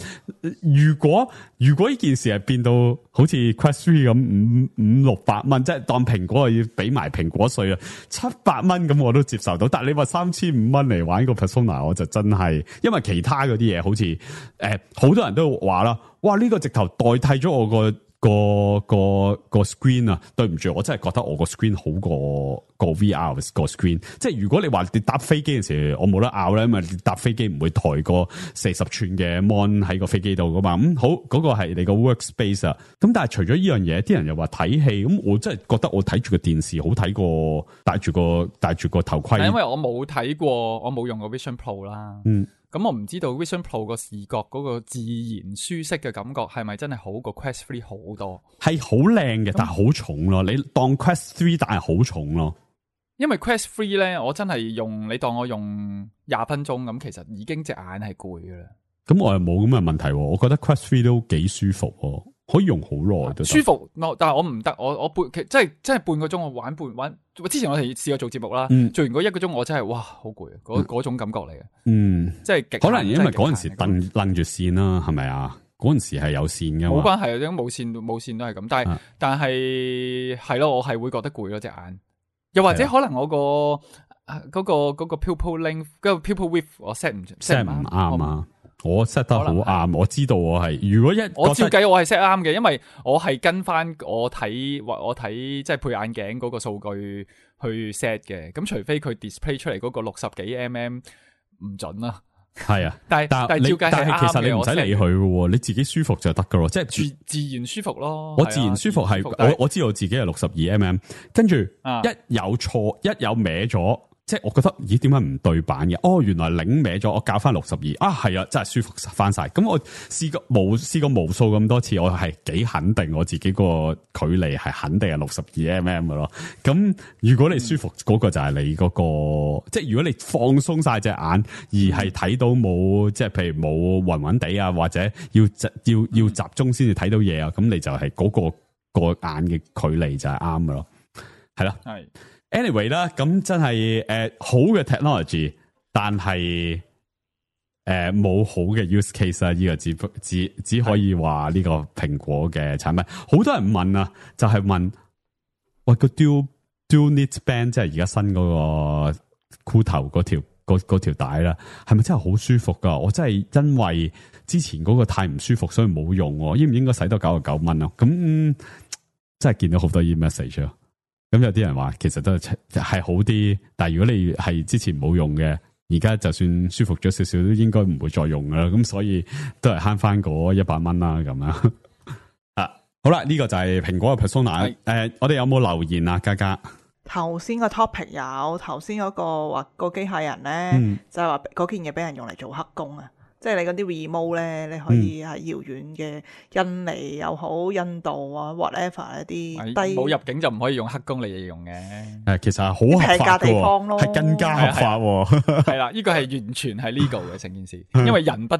如果呢件事係變到好似 Quest 3咁500-600蚊，即係當蘋果要俾埋蘋果稅啊，700蚊咁我都接受到。但係你話3500蚊嚟玩個 persona， 我就真係，因為其他嗰啲嘢好似好多人都話啦，哇呢個直頭代替咗我個 screen 啊！對唔住，我真係覺得我個 screen 好過個 VR 個 screen。即係如果你話你搭飛機嘅時候，我冇得拗咧，因為你搭飛機唔會抬個40寸嘅 mon 喺個飛機度噶嘛。好，嗰個係你個 workspace 啊。咁但係除咗呢樣嘢，啲人又話睇戲，咁我真係覺得我睇住個電視好睇過戴住個頭盔。因為我冇睇過，我冇用過 Vision Pro 啦。咁我唔知道 Vision Pro 個視覺嗰個自然舒適嘅感覺係咪真係好過 Quest 3好多？係好靚嘅，但係好重咯。你當 Quest 3但係好重咯。因為 Quest 3咧，我真係你當我用20分鐘咁，其實已經隻眼係攰噶啦。咁我又冇咁嘅問題，我覺得 Quest 3都幾舒服，可以用好耐都舒服。但係我唔得，我即係半個鐘我玩。之前我哋試過做節目啦，做完嗰1個鐘我真係哇好攰啊！嗰種感覺嚟嘅，即係可能因為嗰陣時楞住線啦，係咪啊？嗰陣時係有線嘅，冇關係，因為冇線都係咁。但係係咯，我係會覺得攰咯隻眼。又或者可能我嗰個 pupil length 嗰個 pupil width 我 set 唔啱啊！我 set 得好啱，我知道我係如果我照計我係 set 啱嘅，因為我係跟翻我睇即係配眼鏡嗰個數據去 set 嘅。咁除非佢 display 出嚟嗰個60幾mm 唔準啦。係啊，但係照計係啱嘅。其實你唔使理佢嘅，你自己舒服就得噶咯，即係自然舒服咯。我自然舒服係我知道自己係62mm，跟住一有錯一有歪咗，即係我覺得，咦？點解唔對版嘅？哦，原來擰歪咗，我校翻62啊，係啊，真係舒服翻晒。咁我試過無數咁多次，我係幾肯定我自己個距離係肯定係62mm 嘅咯。咁如果你舒服，嗰個就係你嗰個，即係如果你放鬆晒隻眼，而係睇到冇，即係譬如冇暈暈地啊，或者要集中先至睇到嘢啊，咁你就係嗰個眼嘅距離就係啱嘅咯，係啦，係。Anyway 啦，咁真係好嘅 technology， 但係冇好嘅 use case 啊！呢個只可以話呢個蘋果嘅產品。好多人問啊，就係問喂個 dual knit band， 即係而家新嗰個箍頭嗰條帶啦，係咪真係好舒服噶？我真係因為之前嗰個太唔舒服，所以冇用。應唔應該使多99蚊啊？咁真係見到好多 message 啊！咁有啲人話其實都係好啲，但係如果你係之前冇用嘅，而家就算舒服咗少少，都應該唔會再用噶啦。咁所以都係慳翻嗰100蚊啦，咁樣啊。好啦，呢個就係蘋果嘅 persona。我哋有冇留言啊？嘉嘉頭先個 topic 有，頭先嗰個話個機械人咧，就係話嗰件嘢俾人用嚟做黑工啊。即係你嗰啲 remote 咧，你可以喺遙遠嘅印尼又好、印度啊 whatever 一啲低冇入境就唔可以用黑工嚟形容嘅。其實係好合法嘅，係更加合法喎。係啦，呢個係完全係 legal 嘅成件事，因為人不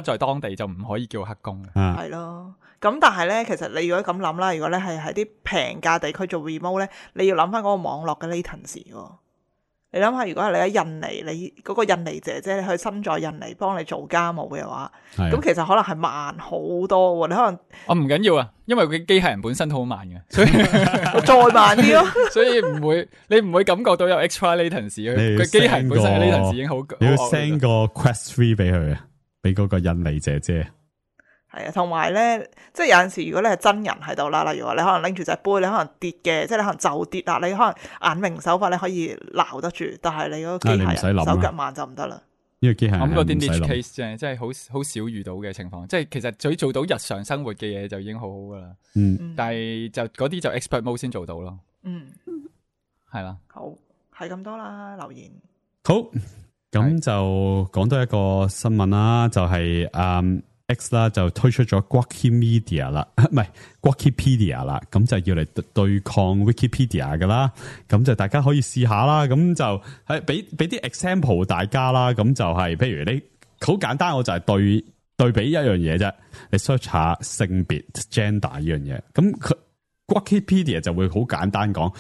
在當地就唔可以叫黑工。係咯，咁但係咧，其實你如果咁諗啦，如果你係喺啲平價地區做 remote 咧，你要諗翻嗰個網絡嘅 latency 喎。你諗下，如果係你喺印尼，你嗰個印尼姐姐你去身在印尼幫你做家務嘅話，咁其實可能係慢好多喎。你可能唔緊要啊，因為佢機械人本身都好慢嘅，所以再慢啲咯。所以你唔會感覺到有 extra latency。佢機械人本身嘅 latency 已經好。你要 send 個 Quest 3俾佢啊，俾嗰個印尼姐姐。係啊，同埋咧，即係有陣時，如果你係真人喺度啦，例如話你可能拎住隻杯，你可能跌嘅，即係你可能就跌啦，你可能眼明手快你可以撈得住，但係你嗰個機械人手腳慢就唔得啦。呢個機械人咁嗰啲 niche case 啫，即係好少遇到嘅情況。即係其實佢做到日常生活嘅嘢就已經好好噶啦。但係就嗰啲就 expert mode 先做到咯。係啦。好，係咁多啦，留言。好，咁就講多一個新聞啦，就係X 啦就推出咗 Gawkimedia 啦，唔係 Gawkipedia 啦，咁就要嚟對抗 Wikipedia 噶啦，咁就大家可以試下啦，咁就係俾啲 example 大家啦，咁就係譬如你好簡單，我就係對比一樣嘢啫，你 search 下性別 gender 呢樣嘢，咁佢 Gawkipedia 就會好簡單講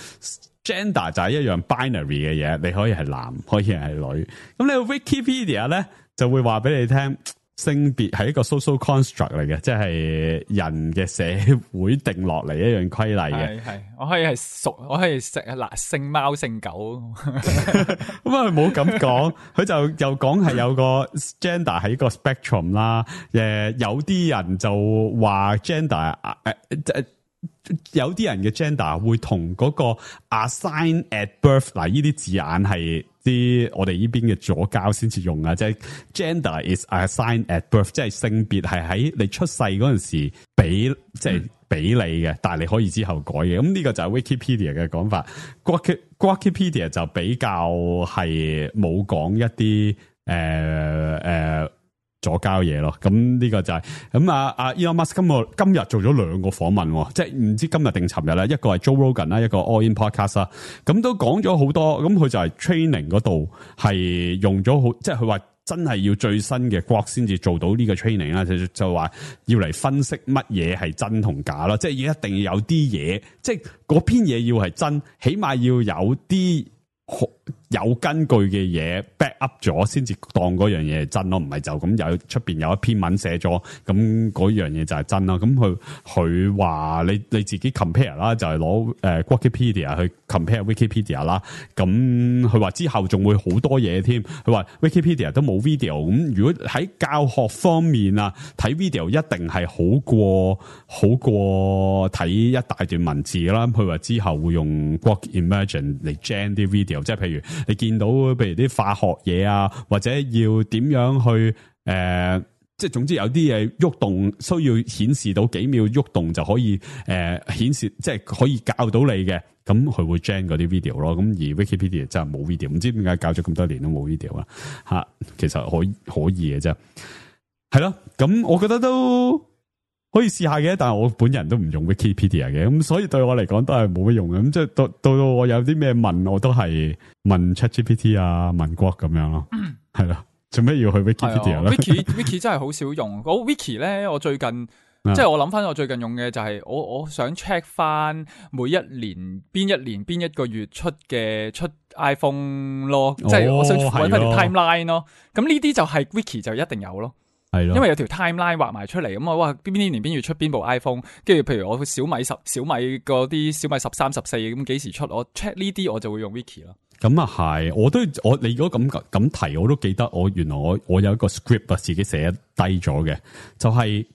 gender 就係一樣 binary 嘅嘢，你可以係男，可以係女，咁你 Wikipedia 咧就會話俾你聽。性別係一個 social construct 嚟嘅，即係人嘅社會定落嚟一樣規例嘅。係，我可以係屬，我可以食姓貓姓狗。咁佢冇咁講，佢就又講係有個 gender 係一個 spectrum 啦。有啲人就話 gender 有啲人嘅 gender 會同嗰個 assign at birth 嗱，呢啲字眼係啲我哋呢邊嘅左膠先至用啊，即係 gender is assigned at birth， 即係性別係喺你出世嗰陣時俾你嘅，但係你可以之後改嘅。咁呢個就係 Wikipedia 嘅講法。Gawkipedia 就比較係冇講一啲左交嘢咯，咁呢個就係咁啊 Elon Musk 今日做咗2個訪問，即係唔知今日定尋日啦，一個係 Joe Rogan 啦，一個 All In Podcast 啦，咁都講咗好多，咁佢就係 training 嗰度係用咗好，即係佢話真係要最新嘅 Grok 先至做到呢個 training 啦，就話要嚟分析乜嘢係真同假咯，即係一定要有啲嘢，即係嗰篇嘢要係真，起碼要有啲有根據嘅嘢 back up 咗，先至當嗰樣嘢係真咯，唔係就咁有出邊有一篇文寫咗，咁嗰樣嘢就係真啦。咁佢話你自己 compare 啦，就係攞Wikipedia 去 compare Wikipedia 啦。咁佢話之後仲會好多嘢添。佢話 Wikipedia 都冇 video， 咁如果喺教學方面啊，睇 video 一定係好過睇一大段文字啦。佢話之後會用 Grok Emergent 嚟 gen 啲 video， 即係譬如你見到譬如啲化學嘢啊，或者要點樣去即即係總之有啲嘢喐動需要顯示到幾秒喐動就可以顯示，即係可以教到你嘅，咁佢會 gen 嗰啲 video 咯。咁而 Wikipedia 真係冇 video， 唔知點解教咗咁多年都冇 video 啦嚇。其實可以嘅啫，係咯。咁我覺得都可以試下嘅，但係我本人都唔用 Wikipedia 嘅，咁所以對我嚟講都係冇乜用嘅。咁即係到我有啲咩問，我都係問 ChatGPT 啊，問 Grok 咁樣咯，係咯。做咩要去 Wikipedia 咧？Wiki 真係好少用。嗰 Wiki 咧，我最近即係我諗翻，我最近用嘅就係我想 check 翻每一年邊一個月出 iPhone 咯，即係我想揾翻條 timeline 咯。咁呢啲就係 Wiki 就一定有咯。係咯，因為有條 timeline 畫埋出嚟，咁哇邊年邊月出邊部 iPhone， 跟住譬如我小米嗰啲小米13、14咁幾時出，我 check 呢啲我就會用 Wiki 咯。咁啊係，你如果咁提，我都記得原來我有一個 script 自己寫低咗嘅，就係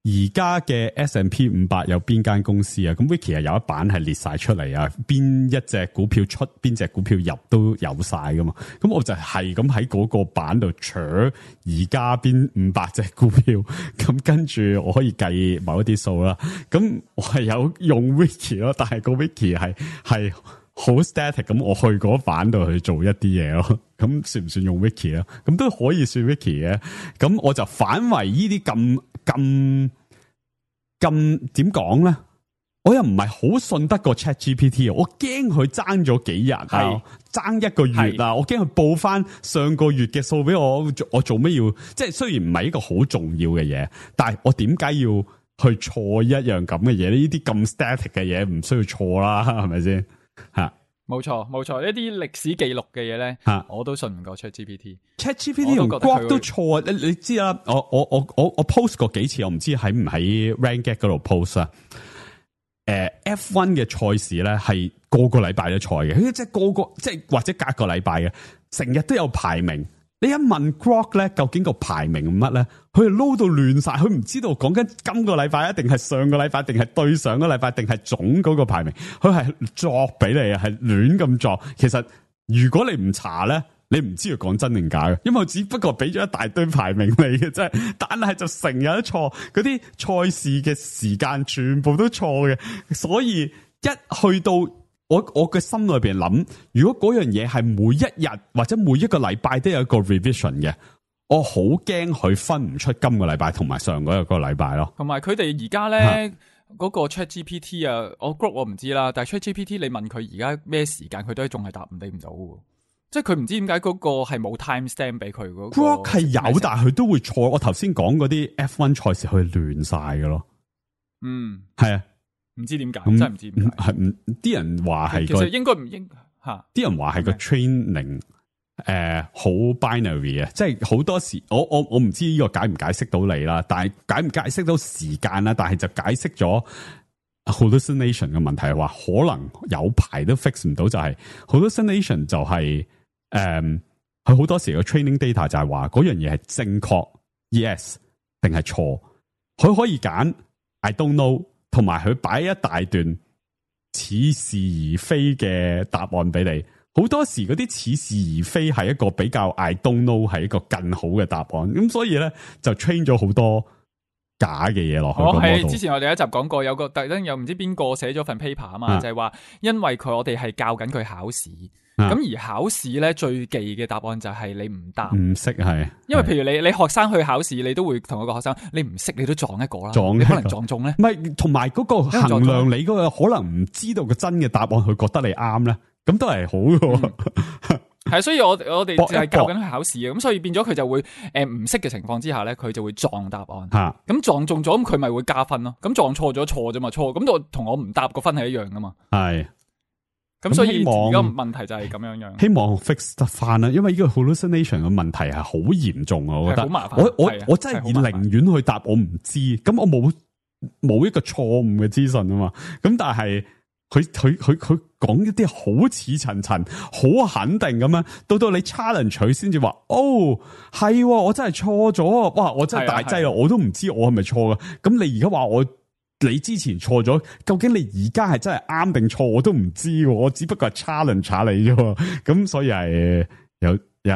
而家嘅 S&P 500有邊間公司啊？咁 Wiki 係有一版係列晒出嚟啊，邊一隻股票出，邊隻股票入都有晒噶嘛。咁我就係咁喺嗰個版度取而家邊500隻股票，咁跟住我可以計某一啲數啦。咁我係有用 Wiki 咯，但係個 Wiki 係好 static， 咁我去嗰版度去做一啲嘢咯，咁算唔算用 Wiki 咧？咁都可以算 Wiki 嘅。咁我就反為呢啲咁點講咧？我又唔係好信得過 ChatGPT， 我驚佢爭咗幾日啊，爭一個月啊，我驚佢報翻上個月嘅數俾我做咩要？即係雖然唔係一個好重要嘅嘢，但係我點解要去錯一樣咁嘅嘢？呢啲咁 static 嘅嘢唔需要錯啦，係咪先？吓，冇錯，呢啲歷史記錄嘅嘢咧，我都信唔過 ChatGPT 同 Grok 都錯啊！你知啦，我 post 過幾次，我唔知喺唔喺 RanGad 嗰度 post 啊。F1 嘅賽事咧係個禮拜都賽嘅，即係即係或者隔個禮拜嘅，成日都有排名。你一問 Grok 咧，究竟個排名乜咧？佢係撈到亂晒，佢唔知道講緊今個禮拜，一定係上個禮拜，定係對上個禮拜，定係總嗰個排名。佢係作俾你啊，係亂咁作。其實如果你唔查咧，你唔知佢講真定假嘅，因為我只不過俾咗一大堆排名你嘅啫。但係就成日都錯，嗰啲賽事嘅時間全部都錯嘅，所以一去到。我嘅心裏邊諗，如果嗰樣嘢係每一日或者每一個禮拜都有一個 revision 嘅，我好驚佢分唔出今個禮拜同埋上嗰個禮拜咯。同埋佢哋而家咧嗰個 ChatGPT 啊，我 Grok 我唔知啦，但係 ChatGPT 你問佢而家咩時間，佢都仲係答唔到嘅，即係佢唔知點解嗰個係冇 timestamp 俾佢嗰個。Grok 係有，但係佢都會錯。我頭先講嗰啲 F1 賽事佢亂晒嘅咯。係啊。唔知點解，真係唔知點解。係啲人話係，其實應該唔應吓。啲人話係個 training 好 binary 啊，即係好多時我唔知呢個解唔解釋到你啦，但係解唔解釋到時間啦，但係就解釋咗 hallucination 嘅問題，係話可能有排都 fix 唔到，就係 hallucination 就係佢好多時個 training data 就係話嗰樣嘢係正確 yes 定係錯，佢可以揀 I don't know。同埋佢擺一大段似是而非嘅答案俾你，好多時嗰啲似是而非係一個比較 I don't know 係一個更好嘅答案，咁所以咧就 train 咗好多假嘅嘢落去。係之前我哋一集講過，有個特登又唔知邊個寫咗份 paper 啊嘛，就係話因為我哋係教緊佢考試。咁而考試咧最忌嘅答案就係你唔答唔識，係因為譬如你學生去考試，你都會同一個學生，你唔識你都撞一個啦，你可能撞中咧，唔係同埋嗰個衡量你嗰個可能唔知道個真嘅答案，佢覺得你啱咧，咁都係好嘅。係，所以我哋就係教緊佢考試嘅，咁所以變咗佢就會唔識嘅情況之下咧，佢就會撞答案，咁撞中咗，咁佢咪會加分咯，咁撞錯咗錯啫嘛，錯，咁同我唔答個分係一樣噶嘛，係。咁所以而家問題就係咁樣樣，希望 fix 得翻啦，因為呢個 hallucination 嘅問題係好嚴重啊，我覺得好麻煩。我真係寧願去答我唔知，咁我冇一個錯誤嘅資訊啊嘛。咁但係佢講一啲好似層層，好肯定咁樣，到你 challenge 佢先至話，哦係，我真係錯咗，哇，我真係大劑啦，我都唔知我係咪錯噶。咁你而家話你之前錯咗，究竟你而家係真係啱定錯，我都唔知，我只不過係 challenge 下你啫。咁所以係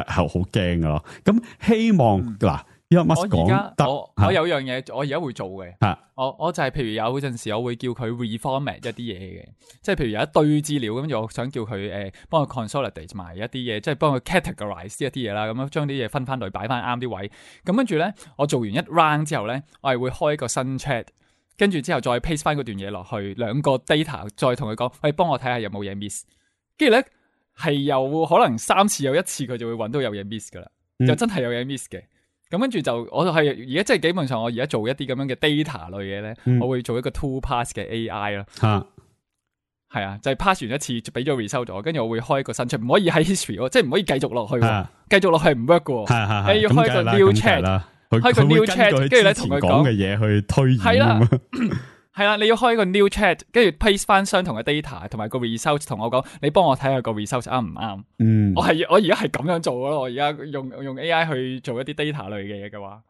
好驚噶咯。咁希望嗱， Elon Musk 我而講家得我有樣嘢，我而家會做嘅。嚇我就係譬如有陣時，我會叫佢 reformat 一啲嘢嘅，即係譬如有一堆資料，跟住我想叫佢幫佢 consolidate 埋一啲嘢，即係幫佢 categorize 一啲嘢啦，咁樣將啲嘢分翻類，擺翻啱啲位。咁跟住咧，我做完一 round 之後咧，我係會開一個新 chat，跟住之後再 paste 翻嗰段嘢落去，兩個 data 再同佢講，喂，幫我睇下有冇嘢 miss。跟住咧係有可能3次有1次佢就會揾到有嘢 miss 噶啦，就真係有嘢 miss 嘅。咁跟住就，我就係而家即係基本上，我而家做一啲咁樣嘅 data 類嘅咧，我會做一個 two pass 嘅 AI 咯。係啊，就係 pass 完一次，就俾咗 result 咗，跟住我會開一個新出，唔可以喺 history，即係唔可以繼續落去，繼續落去唔 work 嘅。你要開個 new chat，開個 new chat，跟住咧同佢講嘅嘢去推演。係啦。係啦，你要開個 new chat，跟住 paste 翻相同嘅 data，同埋個 result 同我講，你幫我睇下個 result 啱唔啱？我而家係咁樣做咯，我而家用 AI 去做一啲 data 類嘅嘢嘅話，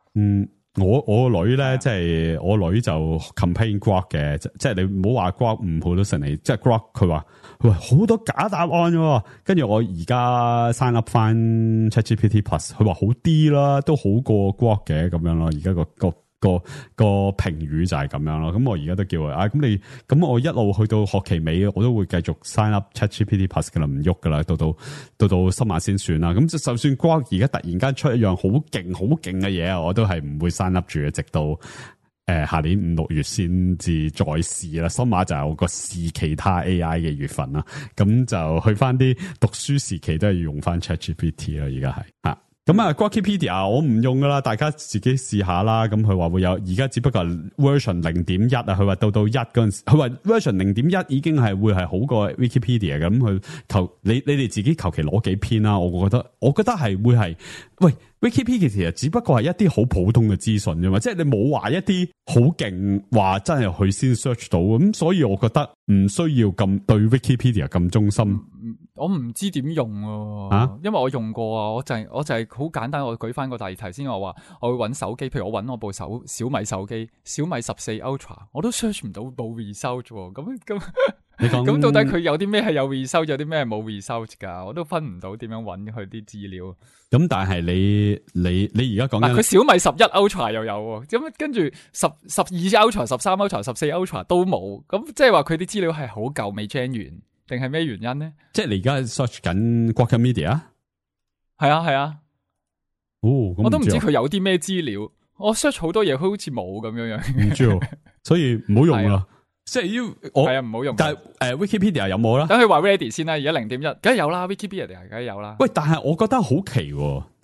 我個女咧，即係我女就 campaign Grok 嘅，即係你唔好話 Grok 唔好多神嚟，即係 Grok 佢話好多假答案喎，跟住我而家 sign up 翻 ChatGPT Plus， 佢話好啲啦，都好過 Grok 嘅咁樣咯，而家個評語就係咁樣咯，咁我而家都叫佢咁我一路去到學期尾，我都會繼續 sign up ChatGPT Plus 噶啦，唔喐噶啦，到深夜先算啦。咁就算 Grok 而家突然間出一樣好勁嘅嘢啊，我都係唔會 sign up 住嘅，直到下年5、6月先至再試啦。深夜就係我個試其他 AI 嘅月份啦，咁就去翻啲讀書時期都係要用翻 ChatGPT 啦，而家係咁啊 Grokipedia 我唔用噶啦，大家自己試下啦。咁佢話會有，而家只不過 version 0.1啊，佢話到1嗰陣時，佢話 version 0.1已經係會係好過 Wikipedia 嘅。咁佢你哋自己求其攞幾篇啦。我覺得係會係，喂 Wikipedia 其實只不過係一啲好普通嘅資訊啫嘛，即係你冇話一啲好勁話真係佢先 search 到咁，所以我覺得唔需要咁對 Wikipedia 咁忠心。我唔知點用啊，因為我用過啊，我就係好簡單。我舉翻個例題先，我話我會揾手機，譬如我揾我部小米手機，小米14 Ultra， 我都 search 唔到冇 result 喎。咁你講咁到底佢有啲咩係有 result， 有啲咩係冇 result 噶？我都分唔到點樣揾佢啲資料。咁但係你而家講緊佢小米11 Ultra 又有，咁跟住12 Ultra、13 Ultra、14 Ultra 都冇，咁即係話佢啲資料係好舊未 gen 完。定係咩原因咧？即係你而家 search 緊 Grokipedia？ 係啊。我都唔知佢有啲咩資料。我 search 好多嘢，佢好似冇咁樣。唔知，所以唔好用啦。即係要唔好用。但係Wikipedia 有冇啦？等佢話 ready 先啦。而家 0.1，梗係有啦。Wikipedia 梗係有啦。喂，但係我覺得好奇，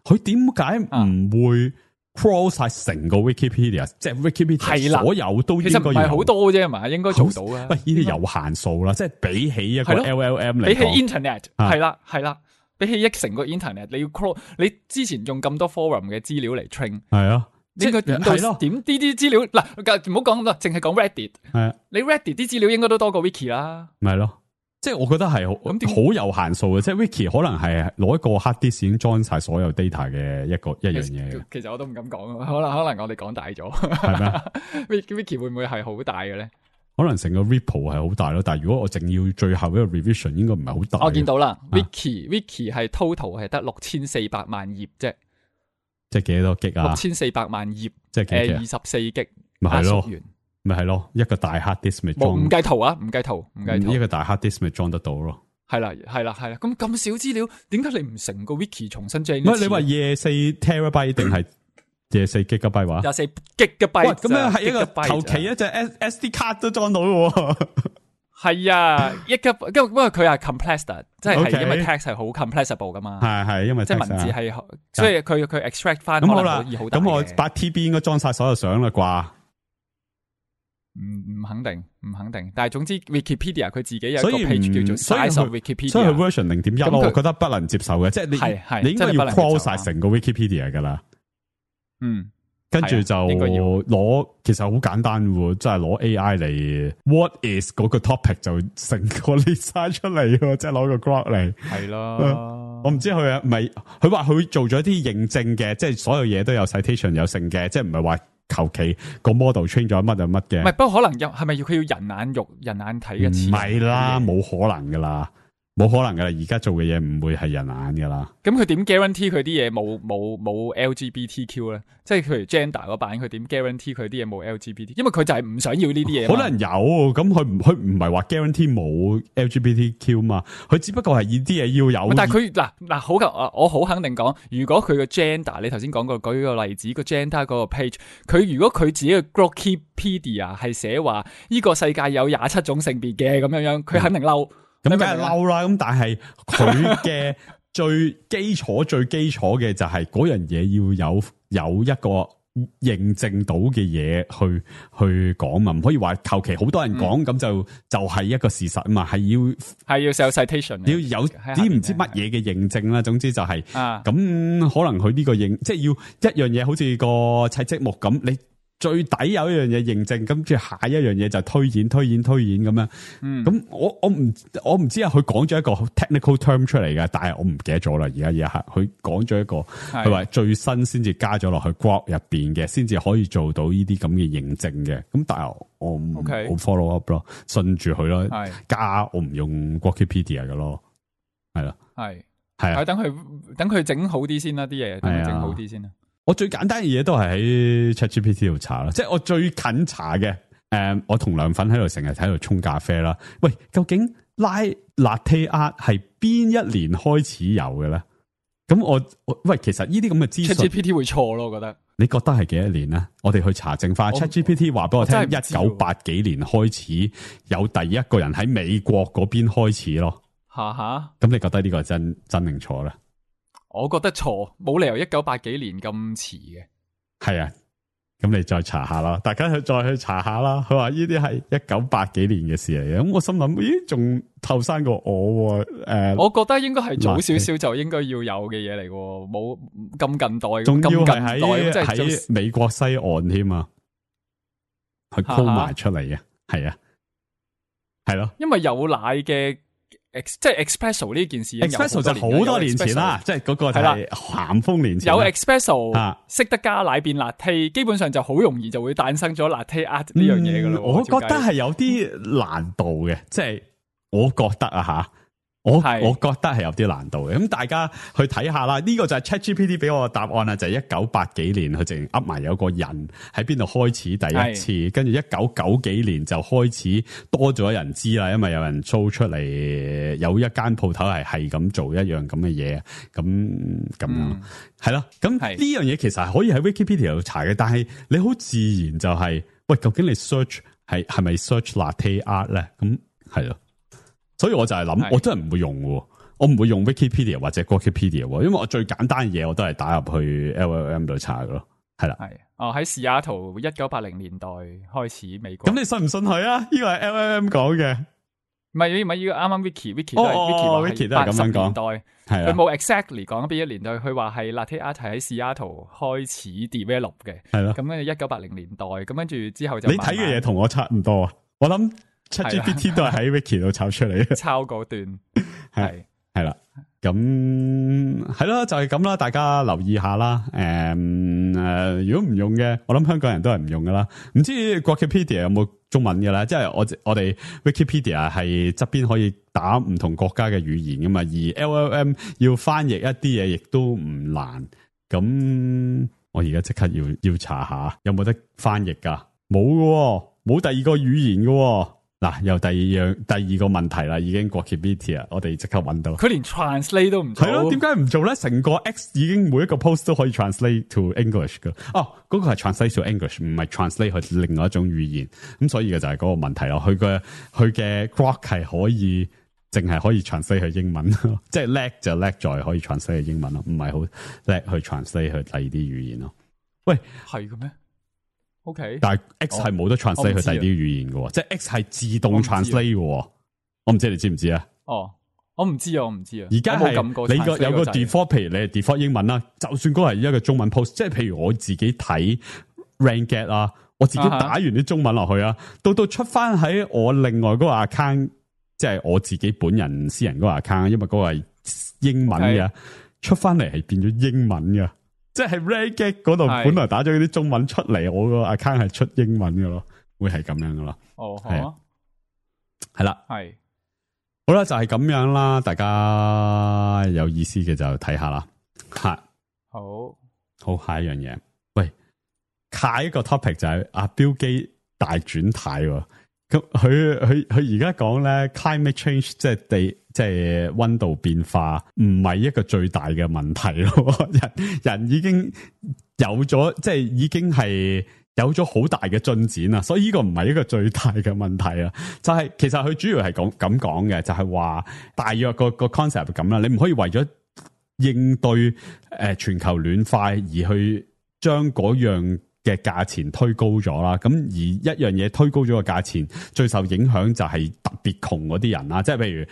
佢點解唔會 crawl 晒成個 Wikipedia， 即係 Wikipedia 所有都應該，其實唔係好多啫嘛，應該做到啊。喂，呢啲有限數啦，即係比起一個 LLM 嚟講，比起 Internet 係啦，比起成個 Internet， 你要 crawl， 你之前用咁多 forum 嘅資料嚟 train， 係啊，應該點到點呢啲資料嗱，唔好講咁多，淨係講 Reddit， 係啊，你 Reddit 啲資料應該都多過 Wiki 啦，咪係咯。即係我覺得係好有限數嘅，即係 Wiki 可能係攞一個 hard disk 已經裝晒所有 data 嘅一樣嘢。其實我都唔敢講，可能我哋講大咗，係咩？Wiki 會唔會係好大嘅咧？可能成個 repo 係好大咯，但係如果我淨要最後一個 revision， 應該唔係好大。我見到啦，Wiki 係 total 係得6400萬頁啫，即係幾多 G 啊？6400萬頁，即係24 G， 咪係咯。咪係咯，一個大 hard disk 咪裝，唔計圖啊，唔計圖，一個大 hard disk 咪裝得到咯。係啦，咁少資料，點解你唔成個 wiki 重新整？唔係你話24 terabyte 定係24 gigabyte 話？24 gigabyte，咁樣係一個求其一隻 SD 卡都裝到嘅。係啊，不過佢係 compressed， 即係因為 text 係好 compressible 噶嘛。係因為即係文字係，所以佢 extract 翻可能可以好大嘅。咁我8TB 應該裝晒所有相啦啩？唔肯定，但係總之 Wikipedia 佢自己有一個 page 叫做 Size of Wikipedia， 所以佢 version 0.1， 我覺得不能接受嘅，即係你應該要 crawl 晒成個 Wikipedia 噶啦。跟住就攞，其實好簡單喎，即係攞 AI 嚟 what is 嗰個 topic 就成個 list 晒出嚟，即係攞個 Grok 嚟。係咯，我唔知佢唔係，佢話佢做咗啲認證嘅，即係所有嘢都有 citation 有成嘅，即係唔係話。求其個 model train 咗乜就乜嘅，唔係，不過可能係咪佢要人眼睇嘅詞？唔係啦，冇可能噶啦，冇可能噶啦，而家做嘅嘢唔會係人眼噶啦。咁佢點 guarantee 佢啲嘢冇 LGBTQ 咧？即係譬如 gender 嗰版，佢點 guarantee 佢啲嘢冇 LGBT？因為佢就係唔想要呢啲嘢。可能有，咁佢唔係話 guarantee 冇 LGBTQ 嘛？佢只不過係呢啲嘢要有。但係佢嗱好我好肯定講，如果佢個 gender，你頭先講過舉個例子，個 gender 嗰個 page， 佢如果佢自己嘅 Wikipedia 係寫話呢個世界有27種性別嘅咁樣，佢肯定嬲。咁梗係嬲啦，咁但係佢嘅最基礎嘅就係嗰樣嘢要有一個認證到嘅嘢去講嘛，唔可以話求其好多人講咁就係一個事實啊嘛，係要有 citation， 要有啲唔知乜嘢嘅認證啦。總之就係咁，可能佢呢個認即係要一樣嘢，好似個砌積木咁，你最底有一樣嘢認證，跟住下一樣嘢就推演咁樣。咁我唔知啊，佢講咗一個 technical term 出嚟嘅，但係我唔記得咗啦。而家呢一刻，佢講咗一個，佢話最新先至加咗落去 Grok 入邊嘅，先至可以做到呢啲咁嘅認證嘅。咁但係我唔 follow up 咯，信住佢咯。加我唔用 Wikipedia 嘅咯，係啦，係啊，等佢整好啲先啦，啲嘢等佢整好啲先啦。我最簡單嘅嘢都係喺 ChatGPT 度查啦，即係我最近查嘅。我同涼粉喺度成日喺度沖咖啡啦。喂，究竟Latte Art 係邊一年開始有嘅咧？咁喂，其實呢啲咁嘅資訊 ChatGPT 會錯咯，我覺得。你覺得係幾多年咧？我哋去查證翻 ChatGPT 話俾我聽，1980幾年開始有第一個人喺美國嗰邊開始咯。咁你覺得呢個係真定錯咧？我覺得錯，冇理由1980幾年咁遲嘅。係啊，咁你再查下啦，大家再去查下啦。佢話呢啲係1980幾年嘅事嚟嘅，咁我心諗，咦，仲後生過我？我覺得應該係早少少就應該要有嘅嘢嚟，冇咁近代，仲要係喺美國西岸添啊，佢 call 埋出嚟嘅，係啊，係咯，因為有奶嘅。即係 Espresso 呢件事 ，Espresso 就好多年前啦，即係嗰個係咸豐年前有 Espresso 識得加奶變 Latte，基本上就好容易就會誕生咗 Latte Art 呢樣嘢噶啦。我覺得係有啲難度嘅，即係我覺得啊吓。我覺得係有啲難度嘅，咁大家去睇下啦。呢個就係 ChatGPT 俾我嘅答案啦，就係1980幾年佢淨噏埋有個人喺邊度開始第一次，跟住1990幾年就開始多咗人知啦，因為有人租出嚟有一間鋪頭係咁做一樣咁嘅嘢，咁樣係咯。咁呢樣嘢其實係可以喺 Wikipedia 度查嘅，但係你好自然就係喂，究竟你 search 係咪 search Latte Art 咧？咁係咯。所以我就係諗，我真係唔會用喎，我唔會用 Wikipedia 或者 Wikipedia，因為我最簡單嘅嘢我都係打入去 LLM 度查嘅咯，係啦。喺西雅圖1980年代開始美國。咁你信唔信佢啊？呢個係 LLM 講嘅，唔係呢個啱啱 Wiki 都係 Wiki 都係咁樣講，係佢冇 exactly 講邊一年代，佢話係 Latte Art 係喺西雅圖開始 develop 嘅，係咯。咁跟住1980年代，咁跟住之後就你睇嘅嘢同我差唔多啊，我諗。ChatGPT 都係喺 Wiki 度抄出嚟嘅，抄嗰段係啦，咁係咯，就係咁啦，大家留意下啦。如果唔用嘅，我諗香港人都係唔用噶啦。唔知 Wikipedia 有冇中文嘅咧？即係我哋 Wikipedia 係側邊可以打唔同國家嘅語言噶嘛，而 LLM 要翻譯一啲嘢，亦都唔難。咁我而家即刻要查下有冇得翻譯噶？冇嘅，冇第二個語言嘅。嗱，又第二個問題啦，已經Wikipedia，我哋即刻揾到。佢連 translate 都唔做，係咯？點解唔做咧？成個 X 已經每一個 post 都可以 translate to English 噶。哦，嗰個係 translate to English， 唔係 translate 去另外一種語言。咁所以嘅就係嗰個問題咯。佢嘅 Grok 係可以淨係可以 translate 去英文，即係叻就叻在可以 translate 去英文咯，唔係好叻去 translate 去第二啲語言咯。喂，係嘅咩？OK， 但係 X 係冇得 translate 去第二啲語言嘅，即係 X 係自動 translate 嘅。我唔知你知唔知啊？哦，我唔知啊。而家係你有個 default， 譬如你係 default 英文啦，就算嗰個係一個中文 post， 即係譬如我自己睇 Ranget 啊，我自己打完啲中文落去啊，到出翻喺我另外嗰個 account， 即係我自己本人私人嗰個 account， 因為嗰個係英文嘅，出翻嚟係變咗英文嘅。即係 Ranget 嗰度本來打咗啲中文出嚟，我個 account 係出英文嘅咯，會係咁樣嘅咯。哦，係啦，係好啦，就係咁樣啦，大家有意思嘅就睇下啦。吓，好，下一樣嘢。喂，下一個 topic 就係阿標基大轉態喎。咁佢而家講咧 climate change 即係溫度變化唔係一個最大嘅問題咯。人已經有咗，即係已經係有咗好大嘅進展啦，所以呢個唔係一個最大嘅問題啊。就係其實佢主要係咁講嘅，就係話大約個 concept 咁啦。你唔可以為咗應對全球暖化而去將嗰樣嘅價錢推高咗啦，咁而一樣嘢推高咗個價錢，最受影響就係特別窮嗰啲人啦。即係譬如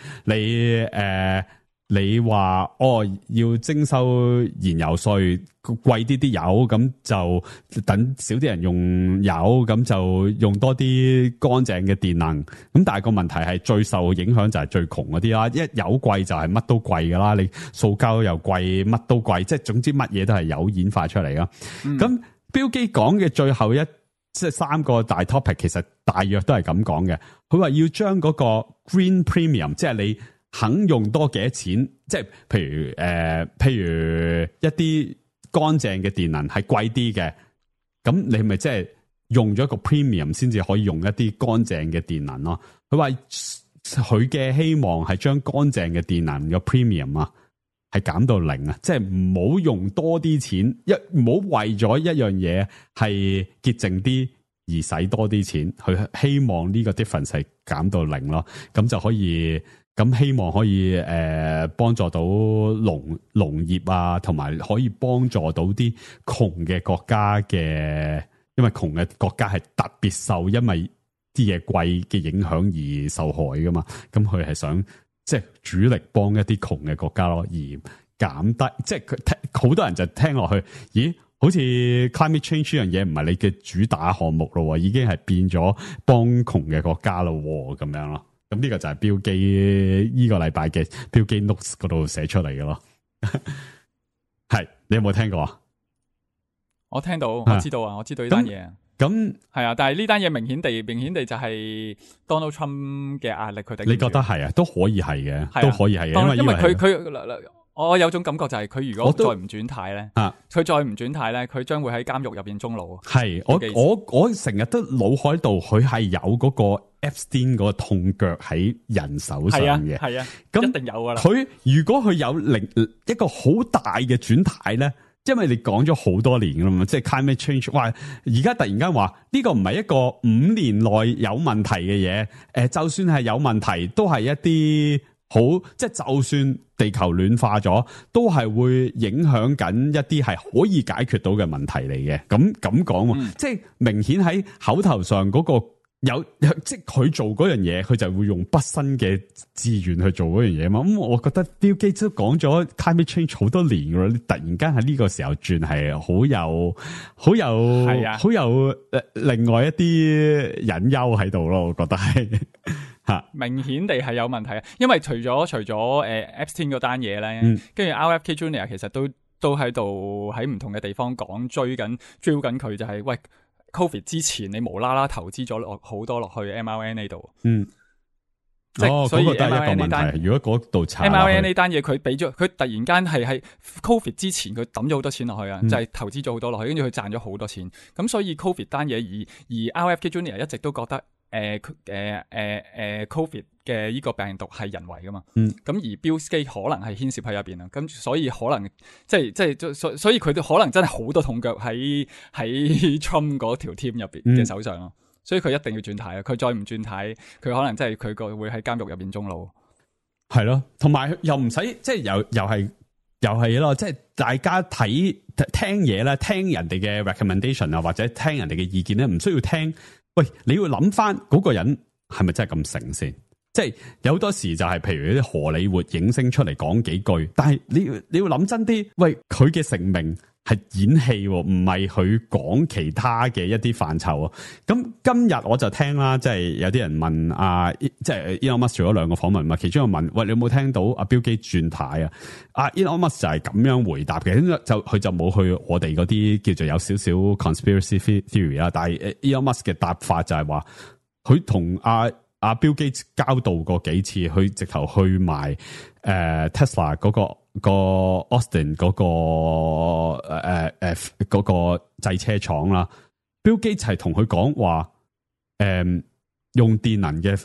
你話要徵收燃油稅，貴啲油，咁就等少啲人用油，咁就用多啲乾淨嘅電能。咁但係個問題係最受影響就係最窮嗰啲啦。一油貴就係乜都貴噶啦，你塑膠又貴，乜都貴，即係總之乜嘢都係油演化出嚟啦。咁標基講嘅最後即係3個大 topic， 其實大約都係咁講嘅。佢話要將嗰個 green premium， 即係你肯用多幾多錢，即係譬如一啲乾淨嘅電能係貴啲嘅，咁你咪即係用咗個 premium 先至可以用一啲乾淨嘅電能咯。佢話佢嘅希望係將乾淨嘅電能嘅 premium 啊，係減到0啊！即係唔好用多啲錢，唔好為咗一樣嘢係潔淨啲而使多啲錢，佢希望呢個 difference 係減到0咯，咁就可以，咁希望可以幫助到農業啊，同埋可以幫助到啲窮嘅國家嘅，因為窮嘅國家係特別受因為啲嘢貴嘅影響而受害噶嘛，咁佢係想。即係主力幫一啲窮嘅國家咯，而減低，即係佢好多人就聽落去，咦？好似 climate change 呢樣嘢唔係你嘅主打項目咯，已經係變咗幫窮嘅國家咯，咁樣咯。咁呢個就係標基呢個禮拜嘅標基 notes 嗰度寫出嚟嘅咯。係，你有冇聽過啊？我聽到，我知道啊，我知道呢單嘢。咁係啊，但係呢單嘢明顯地就係 Donald Trump 嘅壓力，佢哋你覺得係啊？都可以係嘅，都可以係嘅，因為佢我有種感覺就係佢如果再唔轉態咧，佢再唔轉態咧，佢將會喺監獄入邊終老。係我成日都腦海度，佢係有嗰個 Epstein 嗰個痛腳喺人手上嘅，係啊，咁一定有噶啦。佢如果佢有一個好大嘅轉態咧。因為你講咗好多年㗎啦嘛，即係 climate change， 哇！而家突然間話呢個唔係一個5年內有問題嘅嘢，就算係有問題，都係一啲好，即係就算地球暖化咗，都係會影響緊一啲係可以解決到嘅問題嚟嘅。咁講，即係明顯喺口頭上嗰個。有即係佢做嗰樣嘢，佢就會用畢生嘅志願去做嗰樣嘢嘛。咁我覺得 Bill Gates 都講咗 climate change 好多年噶啦，你突然間喺呢個時候轉係好有另外一啲隱憂喺度咯。我覺得係吓明顯地係有問題啊。因為除咗Epstein 嗰單嘢咧，跟住 RFK Junior 其實都喺度喺唔同嘅地方講追緊佢，就係喂。Covid 之前你無啦啦投資咗好多落去 mRNA 度，所以 mRNA 呢單，如果嗰度查 mRNA 呢單嘢，佢俾咗佢突然間係喺 Covid 之前佢抌咗好多錢落去啊，就係投資咗好多落去，跟住佢賺咗好多錢，咁所以 Covid 單嘢而 RFK Junior 一直都覺得Covid 嘅呢個病毒係人為噶嘛，咁而 Bill Gates 可能係牽涉喺入邊啊，咁所以可能所以佢都可能真係好多痛腳喺 Trump 嗰條 team 入邊嘅手上咯，所以佢一定要轉態啊！佢再唔轉態，佢可能真係佢會喺監獄入邊終老。係咯，同埋又唔使即係又係咯，即係大家聽嘢咧，聽人哋嘅 recommendation 啊，或者聽人哋嘅意見咧，唔需要聽。喂，你要諗翻嗰個人係咪真係咁醒先？即係有好多時就係譬如啲荷里活影星出嚟講幾句，但係你要諗真啲，喂，佢嘅成名係演戲，唔係佢講其他嘅一啲範疇啊。咁今日我就聽啦，即係有啲人問即係 Elon Musk 做咗2個訪問嘛，其中一個問，喂，你有冇聽到阿 Bill Gates 轉態啊？Elon Musk 就係咁樣回答嘅，佢就冇去我哋嗰啲叫做有少少 conspiracy theory 啦。但係 Elon Musk 嘅答法就係話，佢同阿阿 Bill Gates 交道過幾次，佢直頭去埋Tesla 嗰個 Austin 嗰個製車廠啦。Bill Gates 係同佢講話，用電能嘅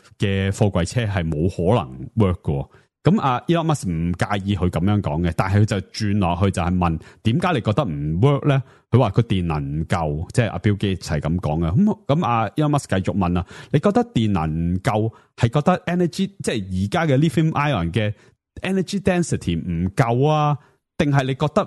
貨櫃車係冇可能 work 嘅。咁阿 Elon Musk 唔介意佢咁樣講嘅，但係佢就轉落去就係問點解你覺得唔 work 咧？佢話個電能唔夠，即係阿 Bill Gates 係咁講嘅。咁阿 Elon Musk 繼續問啦，你覺得電能唔夠係覺得 energy 即係而家嘅 lithium ion 嘅 energy density 唔夠啊？定係你覺得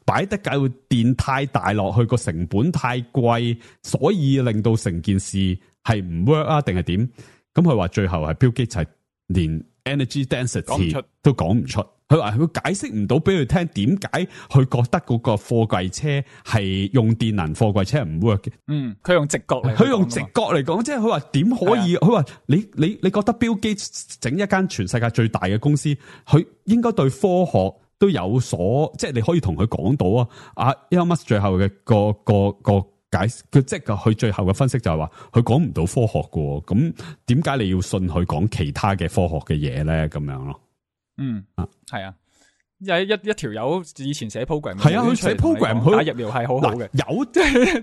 擺得夠電太大落去個成本太貴，所以令到成件事係唔 work 啊？定係點？咁佢話最後係 Bill Gates 係連 energy density 都講唔出，佢話佢解釋唔到俾佢聽點解佢覺得嗰個貨櫃車係用電能貨櫃車唔 work 嘅。佢用直覺嚟，佢用直覺嚟講，即係佢話點可以？佢話你覺得 Bill Gates 整一間全世界最大嘅公司，佢應該對科學都有所，即係你可以同佢講到啊。阿 Elon Musk 最後嘅個解，佢即係佢最後嘅分析就係話，佢講唔到科學嘅，咁點解你要信佢講其他嘅科學嘅嘢咧？咁樣咯，係啊，一條友以前寫 program， 係啊，佢寫 program， 佢打疫苗係好好嘅，有即係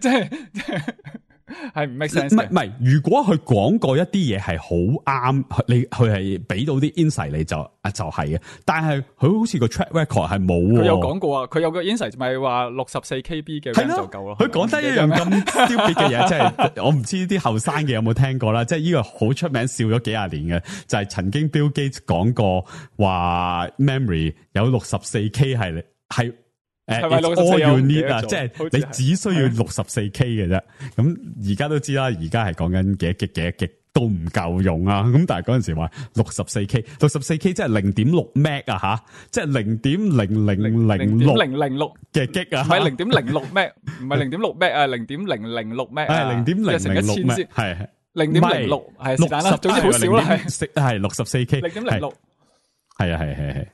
係唔 make sense 嘅。唔係，如果佢講過一啲嘢係好啱，佢係俾到啲 insight 你就係嘅。但係佢好似個 track record 係冇。佢有講過啊，佢有個 insight 咪話64 KB 嘅 RAM 就夠咯。佢講得一樣咁 stupid 嘅嘢，即係我唔知啲後生嘅有冇聽過啦。即係呢個好出名，笑咗幾廿年嘅，就係曾經 Bill Gates 講過話 memory 有64 K 係。all you need 啊，即係你只需要64 K 嘅啫。咁而家都知啦，而家係講緊幾多 G 都唔夠用啊。咁但係嗰陣時話64 K 即係 0.6 Meg 啊吓，即係 0.0006 嘅 G 啊，唔係 0.06 Meg， 唔係 0.6 Meg 啊，0.006 Meg 係 0.006 Meg 係 0.06係是但啦，總之好少啦，係64 K 0.06係。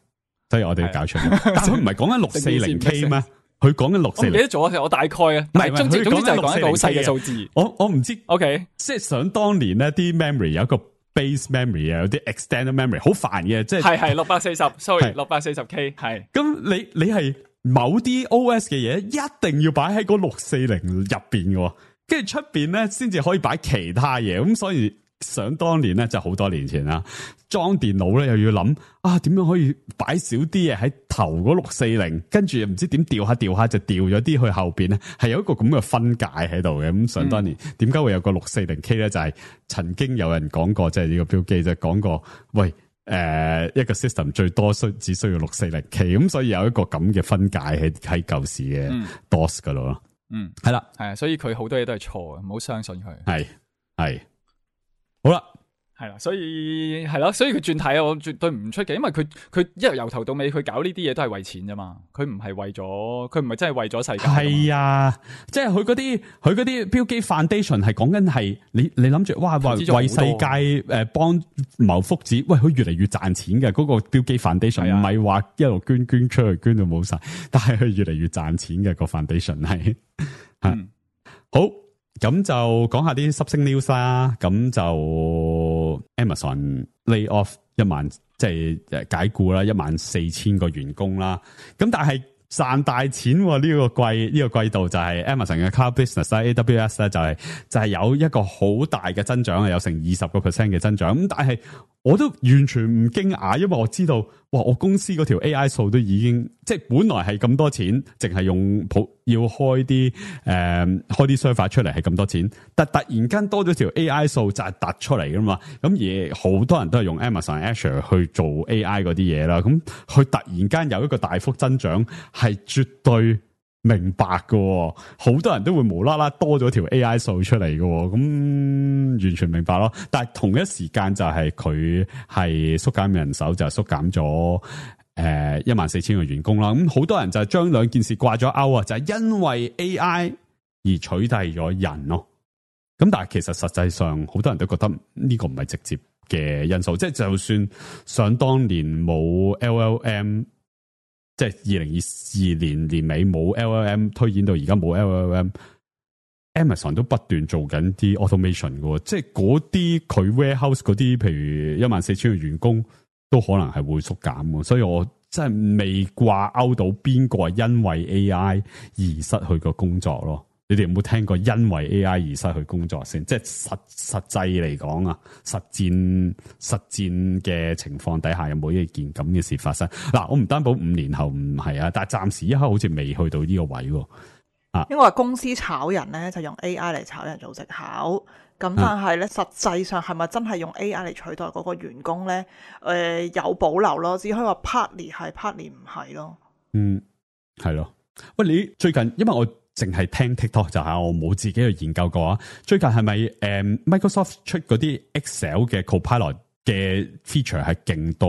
所以我哋要搞出嚟，但佢唔係講緊640 K 咩？佢講緊640，我唔記得咗，我大概啊，唔係總之就係講一個好細嘅數字。我唔知 ，OK， 即係想當年咧，啲 memory 有一個 base memory 啊，有啲 extended memory， 好煩嘅，即係係640 640 K 係。咁你係某啲 OS 嘅嘢一定要擺喺嗰640入邊嘅，跟住出邊咧先至可以擺其他嘢，咁所以。想當年咧，就好多年前啦，裝電腦咧又要諗點樣可以擺少啲嘢喺頭嗰640，跟住又唔知點調下就調咗啲去後邊咧，係有一個咁嘅分界喺度嘅。咁想當年點解會有個640 K 咧？就係曾經有人講過，即係呢個標記就講過，喂一個 system 最多只需要640 K， 咁所以有一個咁嘅分界喺舊時嘅 DOS 嗰度咯。係啦，係啊，所以佢好多嘢都係錯嘅，唔好相信佢。係。好啦，係啦，所以係咯，所以佢轉體我絕對唔出奇，因為佢一由頭到尾佢搞呢啲嘢都係為錢啫嘛，佢唔係真係為咗世界。係啊，即係佢嗰啲Bill Gates Foundation 係講緊係你諗住哇為世界幫謀福祉，喂佢越嚟越賺錢嘅嗰個Bill Gates Foundation 唔係話一路捐出去捐到冇晒，但係佢越嚟越賺錢嘅個 foundation 係好。咁就講下啲濕星 news 啦，咁就 Amazon lay off 1萬，即係解僱啦，14,000個員工啦。咁但係賺大錢呢個季度就係 Amazon 嘅 Cloud Business 啦 AWS 咧就係有一個好大嘅增長，有成20% 嘅增長。咁但係我都完全唔驚訝，因為我知道哇，我公司嗰條 AI 數都已經即係本來係咁多錢，淨係用要開啲server 出嚟係咁多錢，但突然間多咗條 AI 數就係突出嚟噶嘛。咁而好多人都係用 Amazon Azure 去做 AI 嗰啲嘢啦，咁佢突然間有一個大幅增長係絕對明白嘅，好多人都會無啦啦多咗條 AI 數出嚟嘅，咁完全明白咯。但係同一時間就係佢係縮減人手，就係縮減咗14,000個員工啦。咁好多人就係將兩件事掛咗鈎啊，就係因為 AI 而取締咗人咯。咁但係其實實際上好多人都覺得呢個唔係直接嘅因素，即係就算想當年冇 LLM。即係2022年年尾冇 LLM 推演到而家冇 LLM， Amazon 都不斷做緊啲 automation 嘅，即係嗰啲佢 warehouse 嗰啲，譬如14,000個員工都可能係會縮減嘅，所以我真係未掛鈎到邊個係因為 AI 而失去個工作咯。你哋有冇聽過因為 AI 而失去工作先？即係實際嚟講啊，實戰嘅情況底下有冇一件咁嘅事發生？嗱，我唔擔保5年後唔係啊，但係暫時一刻好似未去到呢個位喎。因為話公司炒人咧就用 AI 嚟炒人做藉口，咁但係咧實際上係咪真係用 AI 嚟取代嗰個員工咧？有保留咯，只可以話 partly 係 partly 唔係咯。係咯。喂，你最近因為我淨係聽 TikTok 就係我冇自己去研究過啊。最近係咪Microsoft 出嗰啲 Excel 嘅 Copilot 嘅 feature 係勁到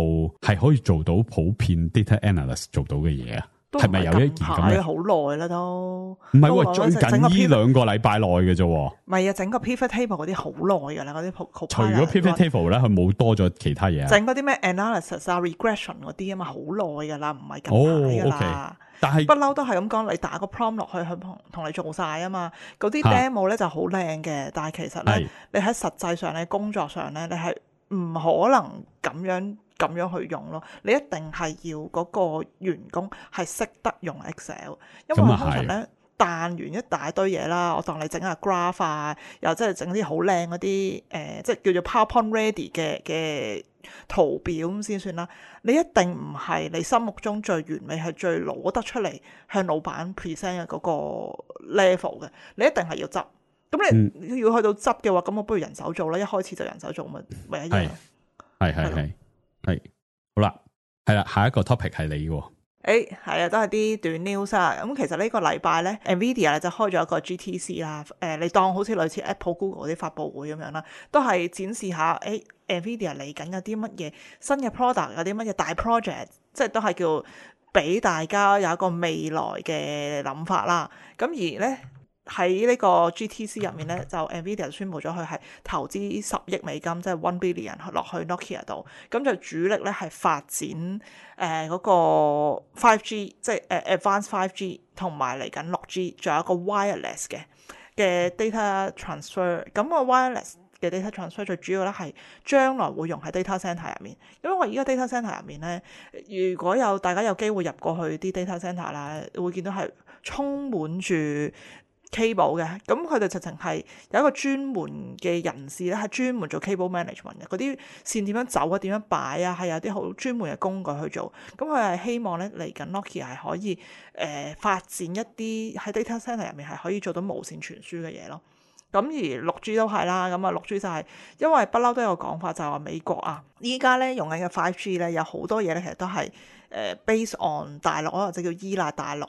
係可以做到普遍 data analyst 做到嘅嘢啊？係咪有一件咁嘅？好耐啦都。唔係喎，最近呢2個禮拜內嘅啫。唔係啊，整個 pivot table 嗰啲好耐㗎啦，嗰啲 Copilot。除咗 pivot table 咧，佢冇多咗其他嘢。整嗰啲咩 analysis 啊、regression 嗰啲啊嘛，好耐㗎啦，唔係近排㗎啦。但係不嬲都係咁講，你打個 prompt 落去，佢同你做晒啊嘛。嗰啲 demo 咧就好靚嘅，但係其實咧，你喺實際上咧，工作上咧，你係唔可能咁樣去用咯。你一定係要嗰個員工係識得用 Excel， 因為通常咧彈完一大堆嘢啦，我當你整下 graph 啊，又即係整啲好靚嗰啲即係叫做 PowerPoint ready 嘅圖表咁先算啦。你一定唔係你心目中最完美係最攞得出嚟向老闆 present 嘅嗰個 level 嘅，你一定係要執。咁你要去到執嘅話，咁我不如人手做啦。一開始就人手做咪一樣。係好啦，係啦，下一個 topic 係你喎。係啊，都係啲短 news 啊。咁其實呢個禮拜咧 ，Nvidia 咧就開咗一個 GTC 啦。你當好似類似 Apple、Google 嗰啲發佈會咁樣啦，都係展示下Nvidia 嚟緊有啲乜嘢新嘅 product， 有啲乜嘢大 project， 即係都係叫俾大家有一個未來嘅諗法啦。咁而咧喺呢個 GTC 入面咧，就 Nvidia 宣布咗佢係投資10億美金，即係1 billion 落去 Nokia 度。咁就主力咧係發展嗰個 5G， 即係Advanced 5G， 同埋嚟緊6G， 仲有一個 wireless 嘅 data transfer。咁個 wireless 嘅 data transfer 最主要咧係將來會用喺 data center 入面，因為我而家 data center 入面咧，如果大家有機會入過去啲 data center 啦，會見到係充滿住cable 嘅，咁佢哋直情係有一個專門嘅人士咧，係專門做 cable management 嘅，嗰啲線點樣走啊，點樣擺啊，係有啲好專門嘅工具去做。咁佢係希望咧嚟緊 Nokia 係可以發展一啲喺 data center 入面係可以做到無線傳輸嘅嘢咯。咁而 6G 都係啦，咁啊 6G 就係因為不嬲都有講法，就係話美國啊，依家咧用緊嘅 5G 咧有好多嘢咧，其實都係based on 大陸或者叫依賴大陸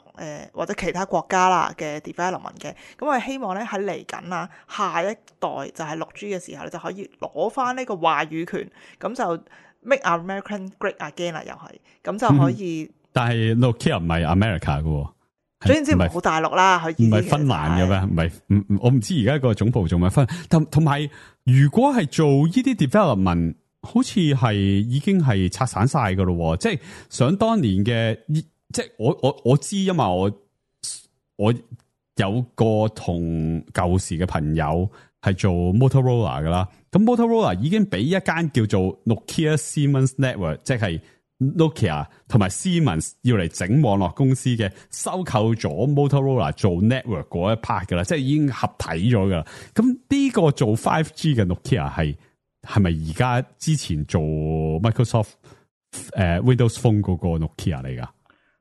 或者其他國家啦嘅 development 嘅。咁我係希望咧喺嚟緊啊下一代就係 6G 嘅時候，你就可以攞翻呢個話語權，咁就 make American great again 啦，又係咁就可以。但係 Nokia 唔係 America 嘅喎。總言之唔好大陸啦，佢唔係芬蘭嘅咩？唔係，我唔知而家個總部做咩分。同埋，如果係做呢啲 development，好似係已經係拆散晒噶咯。即係想當年嘅，即係我知，因為我有個同舊時嘅朋友係做 Motorola 噶啦。咁 Motorola 已經俾一間叫做 Nokia Siemens Network， 即係Nokia 同埋 Siemens 要嚟整網絡公司嘅，收購咗 Motorola 做 network 嗰一 part 噶啦，即係已經合體咗噶啦。咁呢個做 5G 嘅 Nokia 係咪而家之前做 Microsoft Windows Phone 嗰個 Nokia 嚟噶？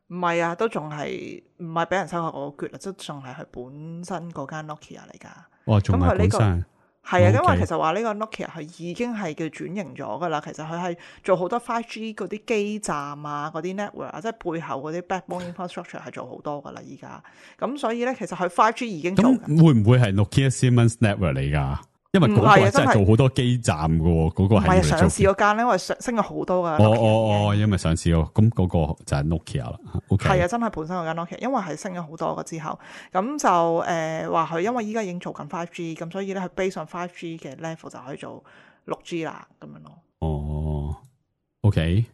唔係啊，都仲係唔係俾人收購嗰個決啊，都仲係佢本身嗰間 Nokia 嚟噶。哇，仲係本身。係啊，因為其實話呢個 Nokia 佢已經係叫轉型咗噶啦。其實佢係做好多 5G 嗰啲基站啊，嗰啲 network 啊，即係背後嗰啲 backbone infrastructure 係做好多噶啦。依家咁所以咧，其實佢 5G 已經做緊。咁會唔會係 Nokia Siemens Network 嚟噶？因為嗰個真係做好多基站噶，嗰個係唔係上市嗰間咧，因為升咗好多噶。因為上市咯，咁嗰個就係 Nokia 啦。係啊，真係本身嗰間 Nokia，因為係升咗好多嘅之後，咁就話佢因為依家已經做緊 5G， 咁所以咧佢 base on 5G 嘅 level 就可以做6G 啦，咁樣咯。OK，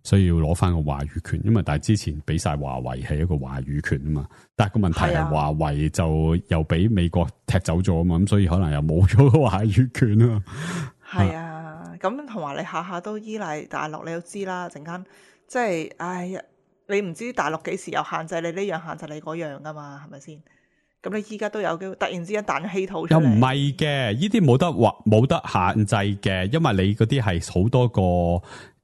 所以要攞翻個話語權，因為但係之前俾晒華為係一個話語權啊嘛，但係個問題係華為就又俾美國踢走咗啊嘛，咁所以可能又冇咗個話語權啊。係啊，咁同埋你下下都依賴大陸，你都知啦，陣間即係唉，你唔知大陸幾時又限制你呢樣限制你嗰樣噶嘛，係咪先？咁你依家都有機會突然之間彈咗稀土出嚟，又唔係嘅，呢啲冇得限制嘅，因為你嗰啲係好多個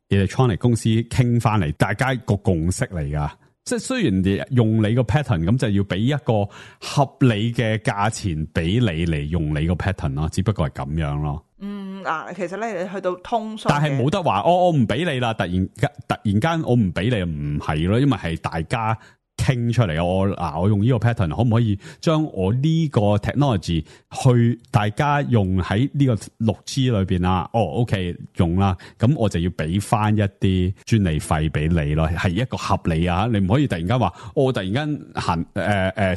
electronic 公司傾翻嚟，大家個共識嚟噶。即係雖然你用你個 pattern，咁就要俾一個合理嘅價錢俾你嚟用你個 pattern 咯，只不過係咁樣咯。其實咧你去到通訊，但係冇得話，我唔俾你啦，突然間我唔俾你，唔係咯，因為係大家傾出嚟，我用呢個 pattern 可唔可以將我呢個 technology 去大家用喺呢個 6G 裏邊啊？OK 用啦，咁我就要俾翻一啲專利費俾你咯，係一個合理啊！你唔可以突然間話我突然間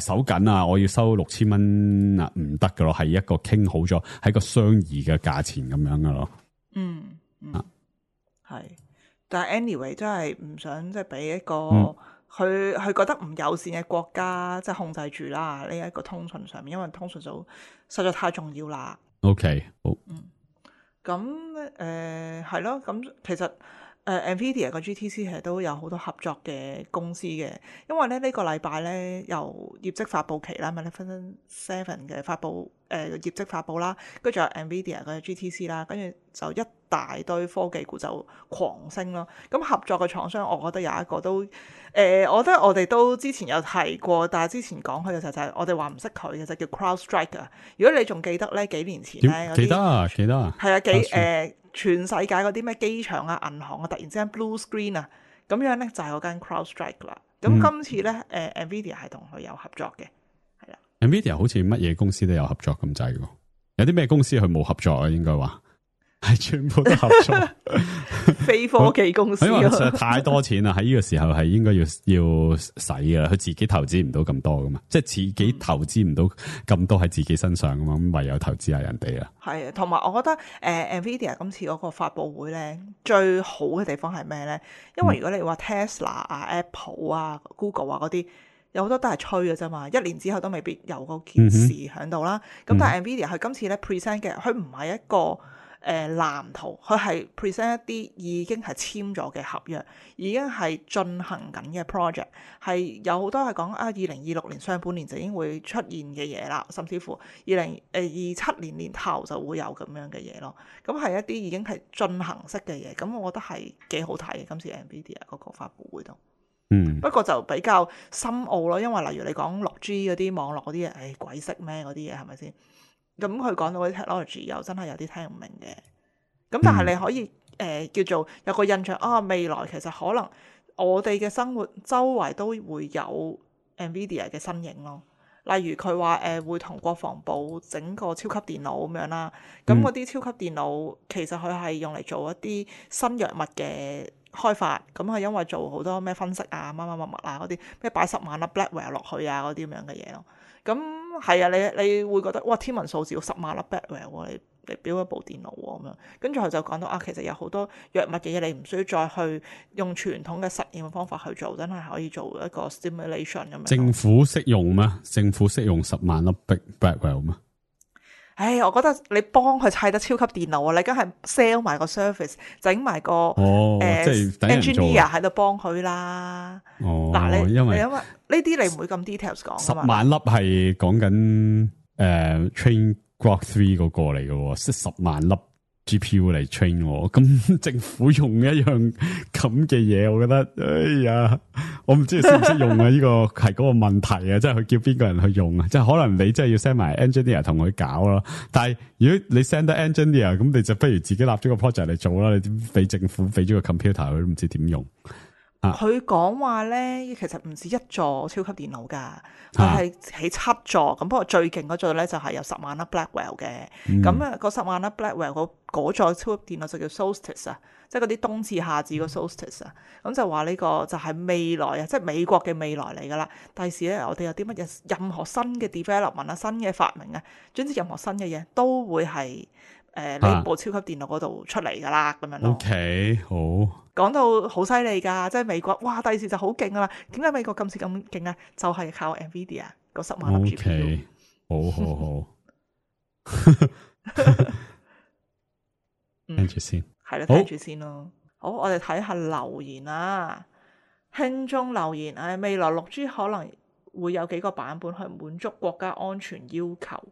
手緊啊，我要收6000蚊啊，唔得噶咯，係一個傾好咗，係個相宜嘅價錢咁樣噶咯。係，但係 anyway 真係唔想即係俾一個。佢覺得唔友善嘅國家即係控制住啦，呢一個通訊上面，因為通訊就實在太重要啦。OK， 好。咁係咯，咁其實NVIDIA 個 GTC 其實都有好多合作嘅公司嘅，因為咧呢個禮拜咧由業績發佈期啦，Magnificent Seven 嘅發佈業績發佈啦，跟住仲有 NVIDIA 嘅 GTC 啦，跟住就一大堆科技股就狂升咯。咁合作嘅廠商，我覺得有一個都我覺得我哋都之前有提過，但係之前講佢嘅時候就係我哋話唔識佢嘅就叫 CrowdStrike 啊。如果你仲記得咧，幾年前咧記得啊，係啊，全世界嗰啲咩機場啊、銀行啊，突然之間 blue screen 啊，咁樣咧就係嗰間 CrowdStrike 啦。咁今次咧NVIDIA 係同佢有合作嘅，係啦。NVIDIA 好似乜嘢公司都有合作咁滯喎，有啲咩公司佢冇合作啊？應該話。係全部都合作，非科技公司，因為實在太多錢啦，喺呢個時候係應該要使噶啦，佢自己投資唔到咁多噶嘛，即係自己投資唔到咁多喺自己身上噶嘛，咁唯有投資下人哋啦。係啊，同埋我覺得NVIDIA 今次嗰個發佈會咧，最好嘅地方係咩咧？因為如果你話 Tesla 啊、Apple 啊、Google 啊嗰啲，有好多都係吹嘅啫嘛，一年之後都未必有嗰件事喺度啦。咁但係 NVIDIA 佢今次咧 present 嘅，佢唔係一個藍圖，佢係 present 一啲已經係簽咗嘅合約，已經係進行緊嘅 project， 係有好多係講2026年上半年就已經會出現嘅嘢啦，甚至乎2027年年頭就會有咁樣嘅嘢咯。咁係一啲已經係進行式嘅嘢，咁我覺得係幾好睇嘅。今次 NVIDIA 嗰個發佈會度，不過就比較深奧咯，因為例如你講 6G 嗰啲網絡嗰啲嘢，鬼識咩嗰啲嘢係咪先？咁佢講到啲 technology 又真係有啲聽唔明嘅，咁但係你可以叫做有個印象未來其實可能我哋嘅生活周圍都會有 NVIDIA 嘅身影咯。例如佢話會同國防部整個超級電腦咁樣啦，咁嗰啲超級電腦其實佢係用嚟做一啲新藥物嘅開發，咁係因為做好多咩分析啊、乜啊嗰啲咩擺10萬粒 Blackwell 落去啊嗰啲咁樣嘅嘢咯。咁係啊，你會覺得哇天文數字要10萬粒 Blackwell 喎，你標一部電腦喎咁樣。跟住佢就講到其實有好多藥物嘅嘢你唔需要再去用傳統嘅實驗嘅方法去做，真係可以做一個 stimulation 咁樣。政府識用咩？政府識用10萬粒 Blackwell 咩？我覺得你幫佢砌得超級電腦啊！你梗係 sell 埋個 service， 整埋個即係 engineer 喺度幫佢啦。嗱，因為呢啲你唔會咁 details 講。10萬粒係講緊train Grok 3嗰個嚟嘅，即係10萬粒 GPU 嚟 train 我。咁政府用一樣咁嘅嘢，我覺得我唔知佢識唔識用啊！呢個係嗰個問題啊，即係佢叫邊個人去用啊？即係可能你真係要 send 埋 engineer 同佢搞咯。但係如果你 send 得 engineer，咁你就不如自己立咗個 project 嚟做啦。你俾政府俾咗個 computer，佢都唔知點用。佢講話咧，其實唔止一座超級電腦㗎，佢係起7座。咁不過最勁嗰座咧就係有10萬粒 Blackwell 嘅。咁嗰10萬粒 Blackwell 嗰座超級電腦就叫 Solstice 啊，即係嗰啲冬至夏至個 Solstice 啊。咁就話呢個就係未來啊，即係美國嘅未來嚟㗎啦。第時咧，我哋有啲乜嘢，任何新嘅 development 啊、新嘅發明啊，總之任何新嘅嘢都會係呢部超級電腦嗰度出嚟㗎啦，咁樣咯。OK，好。講到好犀利㗎，即係美國哇第時就好勁啊！點解美國咁勁啊？就係靠 NVIDIA 個10萬粒 GPU。好，聽住先，係啦，聽住先咯。好，我哋睇下留言啦。聽眾留言，未來6G 可能會有幾個版本去滿足國家安全要求。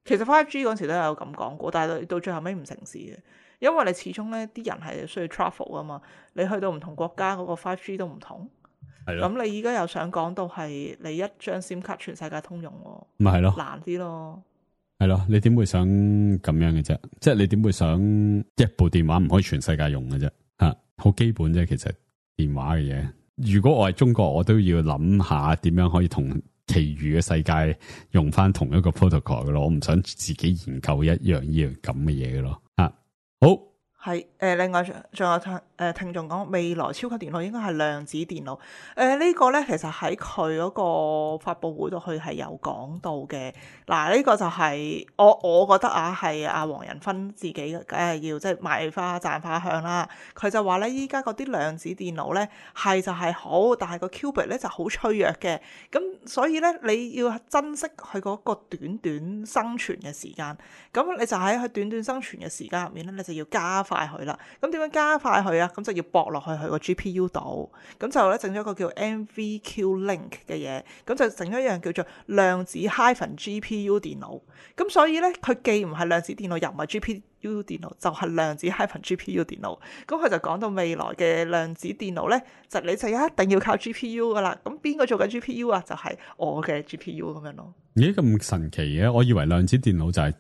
其實 5G 嗰陣時都有咁講過，但係到最後尾唔成事嘅，因為你始終咧啲人係需要 travel 啊嘛，你去到唔同國家嗰個 5G 都唔同。係咯。咁你而家又想講到係你一張 SIM 卡全世界通用喎？咪係咯，難啲咯。係咯，你點會想咁樣嘅啫？即係你點會想一部電話唔可以全世界用嘅啫？好基本啫，其實電話嘅嘢。如果我係中國，我都要諗下點樣可以同其餘嘅世界用翻同一個 protocol 嘅咯。我唔想自己研究一樣咁嘅嘢嘅咯。好。係另外仲有聽眾講未來超級電腦應該係量子電腦。呢個咧其實喺佢嗰個發佈會度佢係有講到嘅。嗱，呢個就係我覺得係阿黃仁勳自己梗係要即係賣花讚花香啦。佢就話咧依家嗰啲量子電腦咧係就係好，但係個 qubit 咧就好脆弱嘅。咁所以咧你要珍惜佢嗰個短短生存嘅時間。咁你就喺佢短短生存嘅時間入面咧，你就要加快佢啦，咁點樣加快佢啊？咁就要駁落去佢個 GPU 度，咁就咧整咗一個叫 NVQ Link 嘅嘢，咁就整咗一樣叫做量子 -GPU 電腦。咁所以咧，佢既唔係量子電腦，又唔係 GPU 電腦，就係量子 -GPU 電腦。咁佢就講到未來嘅量子電腦咧，你就一定要靠 GPU 噶啦。咁邊個做緊 GPU 啊？就係我嘅 GPU 咁樣咯。咦，咁神奇嘅？我以為量子電腦就係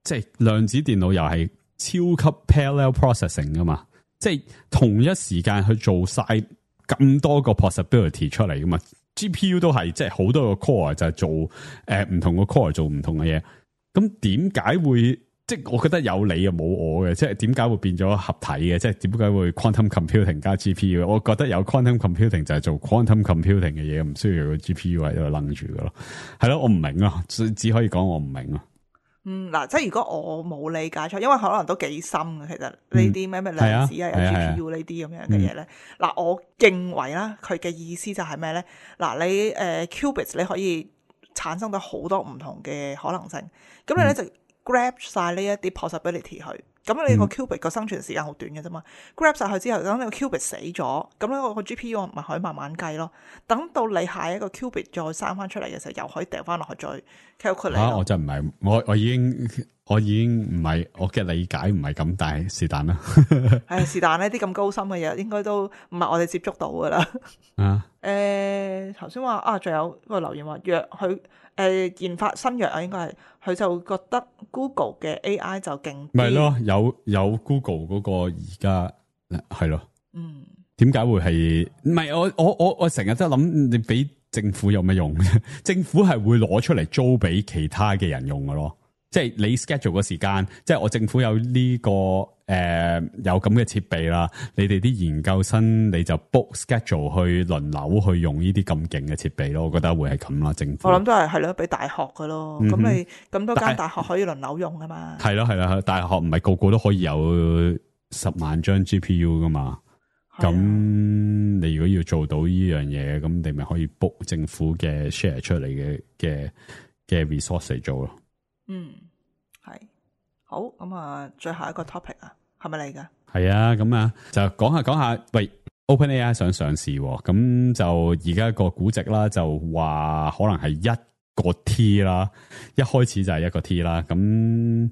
即係量子電腦又係超級 parallel processing 噶嘛，即係同一時間去做晒咁多個 possibility 出嚟噶嘛。GPU 都係即係好多個 core 就係做唔同個 core 做唔同嘅嘢。咁點解會即係我覺得有你又冇我嘅？即係點解會變咗合體嘅？即係點解會 quantum computing 加 GPU？我覺得有 quantum computing 就係做 quantum computing 嘅嘢，唔需要有個 GPU 喺度楞住噶咯。係咯，我唔明啊，只可以講我唔明啊。嗱，即係如果我冇理解錯，因為可能都幾深嘅，其實呢啲咩量子有 GPU 呢啲咁樣嘅嘢咧。嗱，我認為啦，佢嘅意思就係咩咧？嗱，你qubits 你可以產生到好多唔同嘅可能性，咁你咧就 grab 晒呢一啲 possibility 去。咁你個 qubit 個生存時間好短嘅啫嘛，grab 晒佢之後，等你個 qubit 死咗，咁咧個 GPU 咪可以慢慢計咯。等到你下一個 qubit 再生翻出嚟嘅時候，又可以掉翻落去再 calculate。我就唔係，我已經唔係我嘅理解唔係咁，但係是但啦。是但呢啲咁高深嘅嘢，應該都唔係我哋接觸到噶啦。頭先話仲有個留言話藥佢研發新藥啊，應該係佢就覺得 Google 嘅 AI 就勁啲。咪咯，有 Google 嗰個而家係咯。點解會係？唔係我成日都諗，你俾政府有咩用？政府係會攞出嚟租俾其他嘅人用噶咯。即係你 schedule 個時間，即係我政府有呢個有咁嘅設備啦，你哋啲研究生你就 book schedule 去輪流去用呢啲咁勁嘅設備咯，我覺得會係咁啦。政府我諗都係咯，俾大學噶咯，咁你咁多間大學可以輪流用噶嘛？係咯係啦，大學唔係個個都可以有10萬張 GPU 噶嘛？咁你如果要做到呢樣嘢，咁你咪可以 book 政府嘅 share 出嚟嘅 resource 嚟做咯。係好咁啊！最後一個 topic 啊，係咪嚟噶？係啊，咁啊就講下，喂 ，OpenAI 想上市，咁就而家個估值啦，就話可能係1個 T 啦，一開始就係1個 T 啦，咁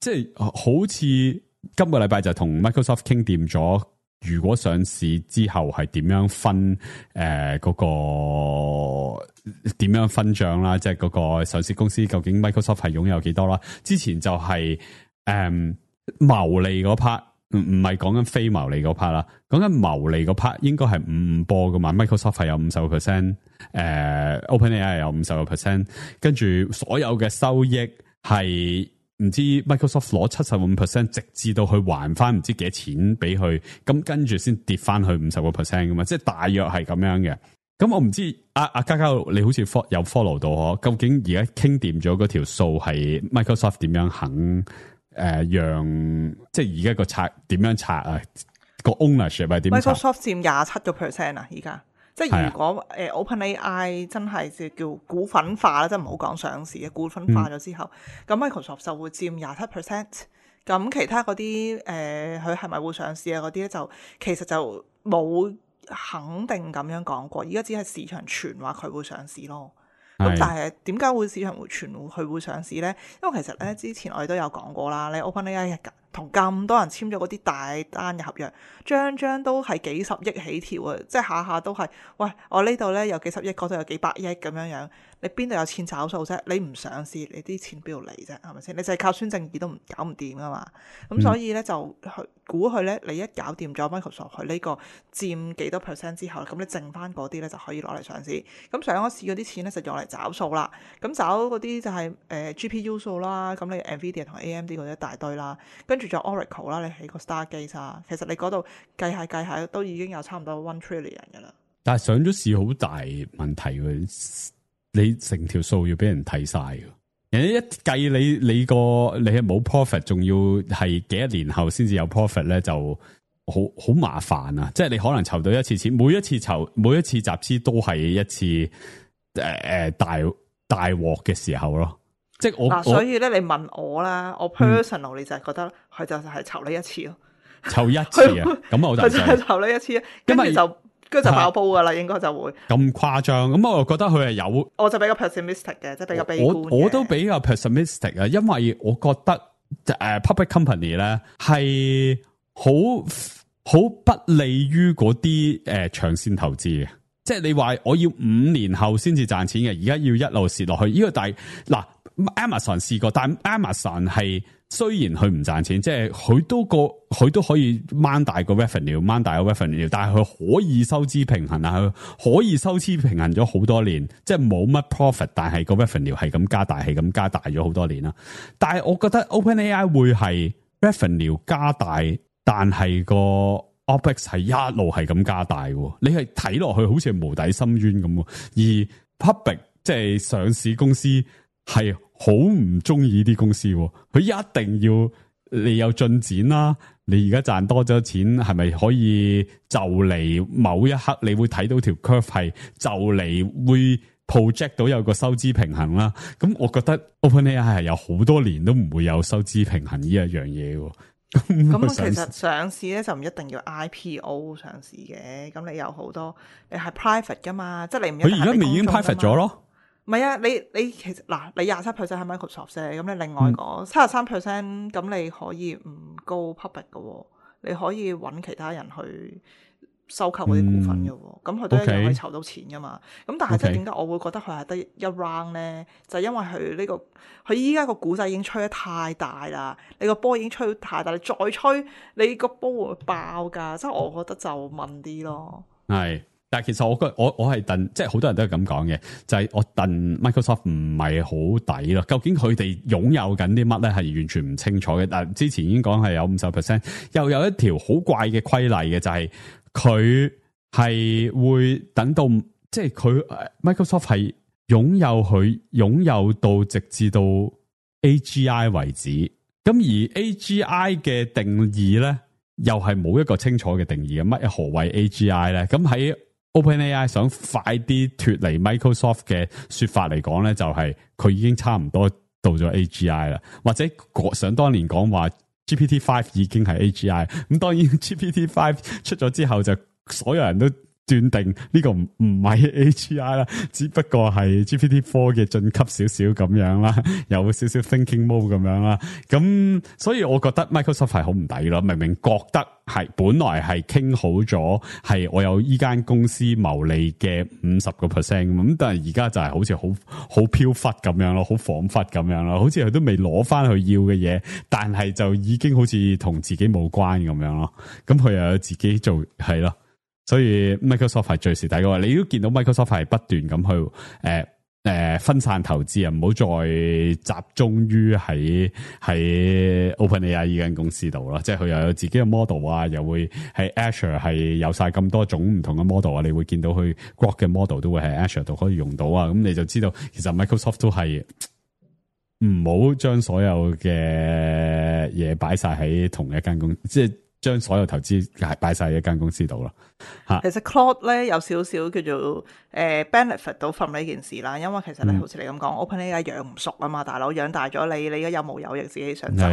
即係好似今個禮拜就同 Microsoft 傾掂咗。如果上市之後係點樣分嗰個點樣分賬啦？即係嗰個上市公司究竟 Microsoft 係擁有幾多啦？之前就係牟利嗰 part，唔係講緊非牟利嗰 part 啦，講緊牟利嗰 part 應該係5波噶嘛。Microsoft 係有50%， OpenAI 有50%，跟住所有嘅收益係。唔知 Microsoft 攞75%，直至到去還翻唔知幾多錢俾佢，咁跟住先跌翻去50%噶嘛，即係大約係咁樣嘅。咁我唔知阿嘉嘉你好似有 follow 到，究竟而家傾掂咗嗰條數係 Microsoft 點樣肯讓即係而家個拆點樣拆啊？個 ownership 係點拆 Microsoft 佔27%啊，而家即係如果OpenAI 真係叫股份化啦，即係唔好講上市嘅股份化咗之後，咁、Microsoft 就會佔27%。咁其他嗰啲佢係咪會上市啊？嗰啲咧就其實就冇肯定咁樣講過，而家只係市場傳話佢會上市咯。咁但係點解會市場會傳佢會上市咧？因為其實咧之前我哋都有講過啦，你 OpenAI 同咁多人簽咗嗰啲大單嘅合約，張都係幾十億起跳啊！即係下下都係，喂，我呢度咧有幾十億，嗰度有幾百億咁樣樣，你邊度有錢找數啫？你唔上市，你啲錢邊度嚟啫？係咪先？你就係靠孫正義都搞唔掂噶嘛？咁所以咧就估佢咧，你一搞掂咗 Microsoft 佢呢個佔幾多 percent 之後，咁你剩翻嗰啲咧就可以攞嚟上市。咁上咗市嗰啲錢咧就用嚟找數啦。咁找嗰啲就係GPU 數啦，咁你 Nvidia 同 AMD 嗰啲一大堆啦，跟住仲有 Oracle 啦，你起個 Stargate 啊，其實你嗰度計下都已經有差唔多1 trillion 㗎啦。但係上咗市好大問題喎，你成條數要俾人睇晒㗎。人哋一計你係冇 profit， 仲要係幾多年後先至有 profit 咧，就好麻煩啊！即係你可能籌到一次錢，每一次集資都係一次大鑊嘅時候咯。即係所以咧，你問我啦，我 personal 你就係覺得佢就係籌呢一次咯，籌一次啊，咁我就係籌呢一次，跟住就爆煲噶啦，應該就會咁誇張。咁我又覺得佢係有，我就比較 pessimistic 嘅，即係比較悲觀嘅。我都比較 pessimistic 啊，因為我覺得public company 咧係好不利於嗰啲長線投資嘅。即係你話我要5年後先至賺錢嘅，而家要一路蝕落去。呢個但係嗱 Amazon 試過，但 Amazon 係雖然佢唔賺錢，即係佢都可以掹大個 revenue， 但係佢可以收支平衡啊，佢可以收支平衡咗好多年，即係冇乜 profit， 但係個 revenue 係咁加大咗好多年啦。但係我覺得 OpenAI 會係 revenue 加大，但係個OPEX 係一路係咁加大嘅，你係睇落去好似係無底深淵咁，而 public 即係上市公司係好唔中意啲公司，佢一定要你有進展啦。你而家賺多咗錢，係咪可以就嚟某一刻你會睇到條 curve 係就嚟會 project 到有個收支平衡啦？咁我覺得 OpenAI 係有好多年都唔會有收支平衡呢一樣嘢。咁其實上市咧就唔一定要 IPO 上市嘅，咁你有好多你係 private 噶嘛，即係你唔一定係佢而家咪已經 private 咗咯？唔係啊，你其實嗱，你27% 喺 Microsoft 啫，咁你另外嗰73%，咁你可以唔 go public 嘅，你可以揾其他人去收購嗰啲股份嘅，咁佢都一樣可以籌到錢噶嘛。咁但係即係點解我會覺得佢係得一 round 咧？就係因為佢呢個佢依家個股仔已經吹得太大啦，你個波已經吹得太大，你再吹你個波會爆噶。即係我覺得就問啲咯。係，但係其實我係戥，即係好多人都係咁講嘅，就係我戥 Microsoft 唔係好抵咯。究竟佢哋擁有緊啲乜咧？係完全唔清楚嘅。但係之前已經講係有50%，又有一條好怪嘅規例嘅，就係佢係會等到，即係佢 Microsoft 係擁有到直至到 AGI 為止。咁而 AGI 嘅定義咧，又係冇一個清楚嘅定義嘅。乜何謂 AGI 咧？咁喺OpenAI 想快啲脫離 Microsoft 嘅說法嚟講咧，就係佢已經差唔多到咗 AGI 啦，或者想當年講話 GPT-5 已經係 AGI， 咁當然 GPT-5 出咗之後就所有人都斷定呢個唔係 AGI 啦，只不過係 GPT-4 嘅進級少少咁樣啦，有少少 thinking mode 咁樣啦。咁所以我覺得 Microsoft 係好唔抵咯，明明覺得係本來係傾好咗，係我有依間公司牟利嘅50%咁，但係而家就係好似好飄忽咁樣咯，好恍惚咁樣咯，好似佢都未攞翻去要嘅嘢，但係就已經好似同自己冇關咁樣咯。咁佢又有自己做係咯。所以 Microsoft 係最蝕底嘅話，你都見到 Microsoft 係不斷咁去分散投資啊，唔好再集中於喺 OpenAI 呢間公司度啦。即係佢又有自己嘅 model 啊，又會喺 Azure 係有晒咁多種唔同嘅 model 啊。你會見到佢 Grok 嘅 model 都會喺 Azure 度可以用到啊。咁你就知道其實 Microsoft 都係唔好將所有嘅嘢擺晒喺同一間公司，即係將所有投資係擺晒喺一間公司度咯。吓，其實 Claude 咧有少少叫做benefit 到 from 呢件事啦，因為其實咧好似你咁講，OpenAI 養唔熟啊嘛，大佬養大咗你而家有毛有翼自己想走，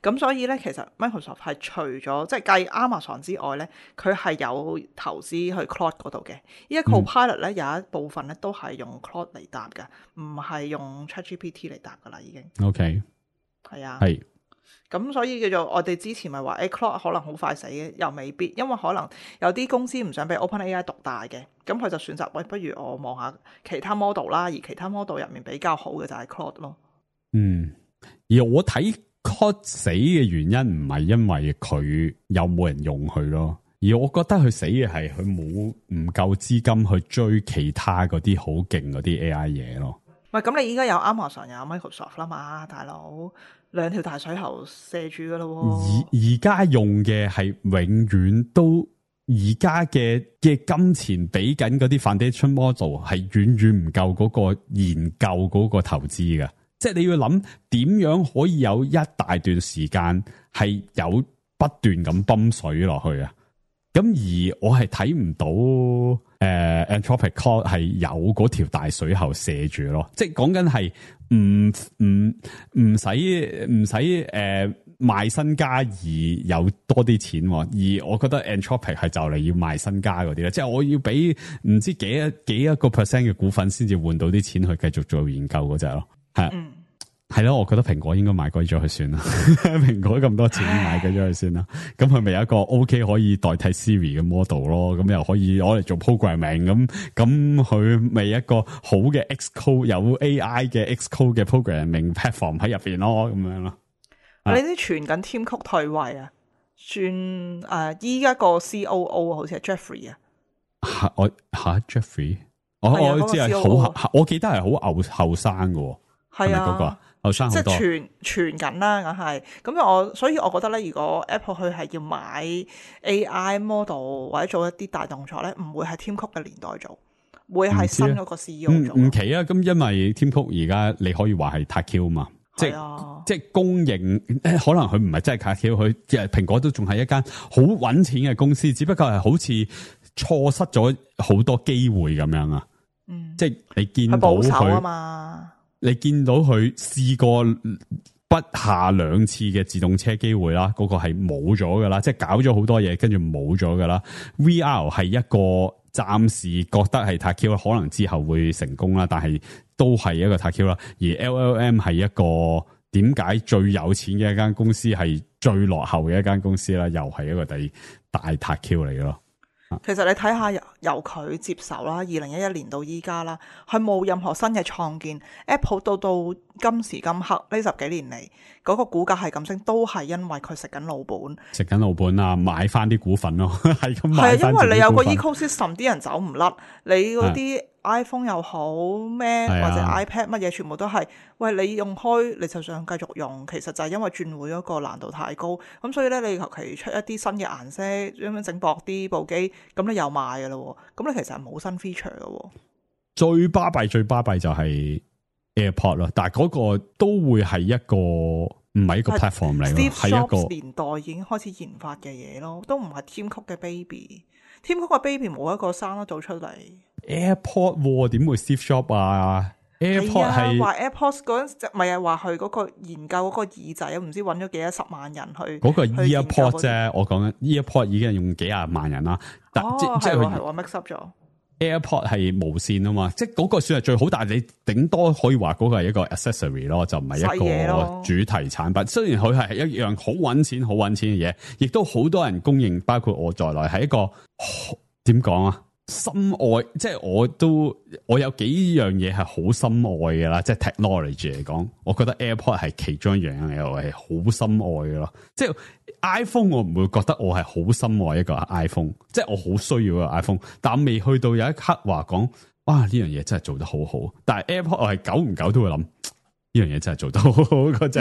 咁所以咧其實 Microsoft 係除咗即係計 Amazon 之外咧，佢係有投資去 Claude 嗰度嘅。依家 Copilot 咧有一部分咧都係用 Claude 嚟答嘅，唔係用 ChatGPT 嚟答噶啦已經。OK， 係啊，係。咁所以叫做我哋之前咪話Claude 可能好快死嘅，又未必，因為可能有啲公司唔想俾 OpenAI 獨大嘅，咁佢就選擇喂，不如我望下其他 model 啦，而其他 model 入面比較好嘅就係 Claude 咯。而我睇 Claude 死嘅原因唔係因為佢有冇人用佢咯，而我覺得佢死嘅係佢冇唔夠資金去追其他嗰啲好勁嗰啲 AI 嘢咯。喂，咁你依家有 Amazon 有 Microsoft 啦嘛，大佬兩條大水喉射住噶咯。而家用嘅係永遠都而家嘅金錢俾緊嗰啲 foundation model 係遠遠唔夠嗰個研究嗰個投資嘅，即係你要諗點樣可以有一大段時間係有不斷咁泵水落去啊。咁而我係睇唔到Anthropic Claude 係有嗰條大水喉射住咯，即係講緊係唔使賣身家而有多啲錢，而我覺得 Anthropic 係就嚟要賣身家嗰啲咧，即係我要俾唔知幾一個 percent 嘅股份先至換到啲錢去繼續做研究嗰隻咯，係。係咯，我覺得蘋果應該買貴咗佢算啦。蘋果咁多錢買貴咗佢算啦。咁佢咪有一個 OK 可以代替 Siri 嘅 model 咯？咁又可以攞嚟做 programming 咁佢咪一個好嘅 Xcode 有 AI 嘅 Xcode 嘅 programming platform 喺入邊咯？咁樣咯。你啲傳緊 Tim Cook 退位啊？轉依家個 COO 好似係 Jeffrey 啊？Jeffrey，我知係好，我記得係好後生嘅。係啊，嗰個後生好多，即係傳緊啦，梗係咁。所以我覺得咧，如果 Apple 佢係要買 AI model 或者做一啲大動作咧，唔會係 Tim Cook 嘅年代做，會係新嗰個 CEO 做。唔奇啊，咁因為 Tim Cook 而家你可以話係 TAQ 嘛，即係公認，可能佢唔係真係 TAQ，佢即係蘋果都仲係一間好搵錢嘅公司，只不過係好似錯失咗好多機會咁樣啊。即係你見到佢保守啊嘛。你見到佢試過不下2次嘅自動車機會啦，嗰個係冇咗噶啦，即係搞咗好多嘢，跟住冇咗噶啦。VR 係一個暫時覺得係 TAQ，可能之後會成功啦，但係都係一個 TAQ 啦。而 LLM 係一個點解最有錢嘅一間公司，係最落後嘅一間公司啦，又係一個第大 TAQ 嚟咯。其實你睇下由佢接手啦，2011年到依家啦，佢冇任何新嘅創建。Apple 到今時今刻呢10幾年嚟，嗰個股價係咁升，都係因為佢食緊老本啊，買翻啲股份咯，係咁買翻。係啊，因為你有個 ecosystem， 啲人走唔甩，你嗰啲 iPhone 又好咩，或者 iPad 乜嘢，全部都係喂，你用開你就想繼續用，其實就係因為轉會嗰個難度太高，咁所以咧你求其出一啲新嘅顏色，咁樣整薄啲部機，咁你又賣噶啦，咁你其實係冇新 feature 噶。最巴閉就係 AirPod 咯，但係嗰個都會係一個唔係一個 platform 嚟咯，係一個年代已經開始研發嘅嘢咯，都唔係 Tim Cook 嘅 baby。Tim Cook 嘅 baby 冇一個生得到出嚟。AirPod 點會 Steve Jobs 啊 ？AirPod 係話 AirPods 嗰陣咪係話佢嗰個研究嗰個耳仔，唔知揾咗幾多10萬人去嗰個 EarPod 啫。我講緊 EarPod 已經係用幾廿萬人啦。即係我 mix up 咗。AirPod 係無線啊嘛，即係嗰個算係最好，但係你頂多可以話嗰個係一個 accessory 咯，就唔係一個主題產品。雖然佢係一樣好揾錢嘅嘢，亦都好多人公認，包括我在內，係一個點講啊？深愛，即係我有幾樣嘢係好深愛嘅啦，即係 technology 嚟講，我覺得 AirPod 係其中一樣嘢，我係好深愛嘅咯。即係 iPhone 我唔會覺得我係好深愛一個 iPhone， 即係我好需要一個 iPhone， 但未去到有一刻話講，哇呢樣嘢真係做得好好。但係 AirPod 我係久唔久都會諗，呢樣嘢真係做得好好嗰隻，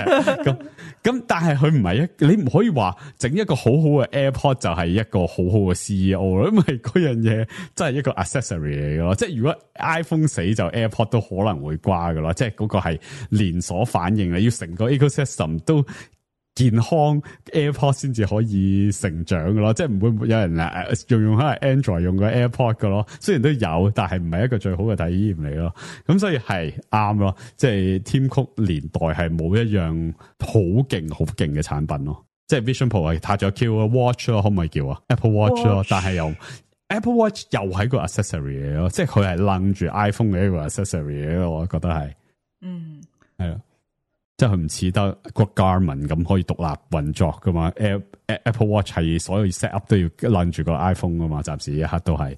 咁但係佢唔係你唔可以話整一個好好嘅 AirPod 就係一個好好嘅 CEO 咯，因為嗰樣嘢真係一個 accessory 嚟嘅咯。即係如果 iPhone 死就 AirPod 都可能會瓜嘅咯，即係嗰個係連鎖反應，你要成個 ecosystem 都健康 AirPod 先至可以成長嘅咯，即係唔會有人用可能 Android 用個 AirPod 嘅咯，雖然都有，但係唔係一個最好嘅體驗嚟咯。咁所以係啱咯，即係 Tim Cook 年代係冇一樣好勁嘅產品咯。即係 Vision Pro 係撻咗 Q 啊 Watch 咯，可唔可以叫啊 Apple Watch 咯？但係又 Apple Watch 又係個 accessory 嚟咯，即係佢係楞住 iPhone 嘅一個 accessory 嚟咯，我覺得係，係咯。即係佢唔似得個 Garmin 咁可以獨立運作噶嘛 ？Apple Watch 係所有 set up 都要攬住個 iPhone 噶嘛，暫時一刻都係。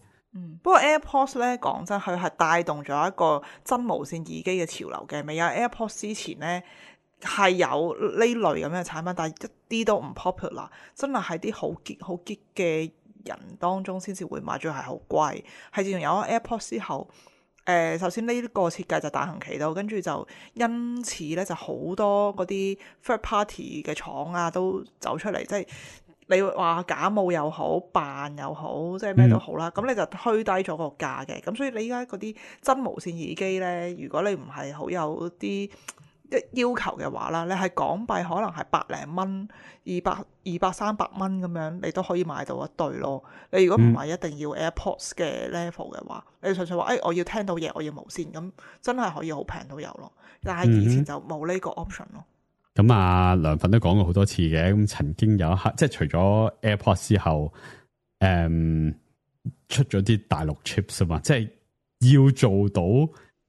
不過 AirPods 咧，講真，佢係帶動咗一個真無線耳機嘅潮流嘅。未有 AirPods 之前咧，係有呢類咁嘅產品，但係一啲都唔 popular， 真係喺啲好激嘅人當中先至會買，仲係好貴。係自從有咗 AirPods 之後。首先呢個設計就大行其道，跟住就因此咧就好多嗰啲 third party 嘅廠啊都走出嚟，即係你話假冒又好，扮又好，即係咩都好啦。咁你就推低咗個價嘅。咁所以你依家嗰啲真無線耳機咧，如果你唔係好有啲要求嘅話啦，你係港幣可能係百零蚊、200-300蚊咁樣，你都可以買到一對咯。你如果唔係一定要 AirPods 嘅 level 嘅話，你純粹話我要聽到嘢，我要無線，咁真係可以好平都有咯。但係以前就冇呢個 option 咯。咁啊，涼粉都講過好多次嘅，咁曾經有一刻，即係除咗 AirPods 之後，出咗啲大陸 chips 啊嘛，即係要做到。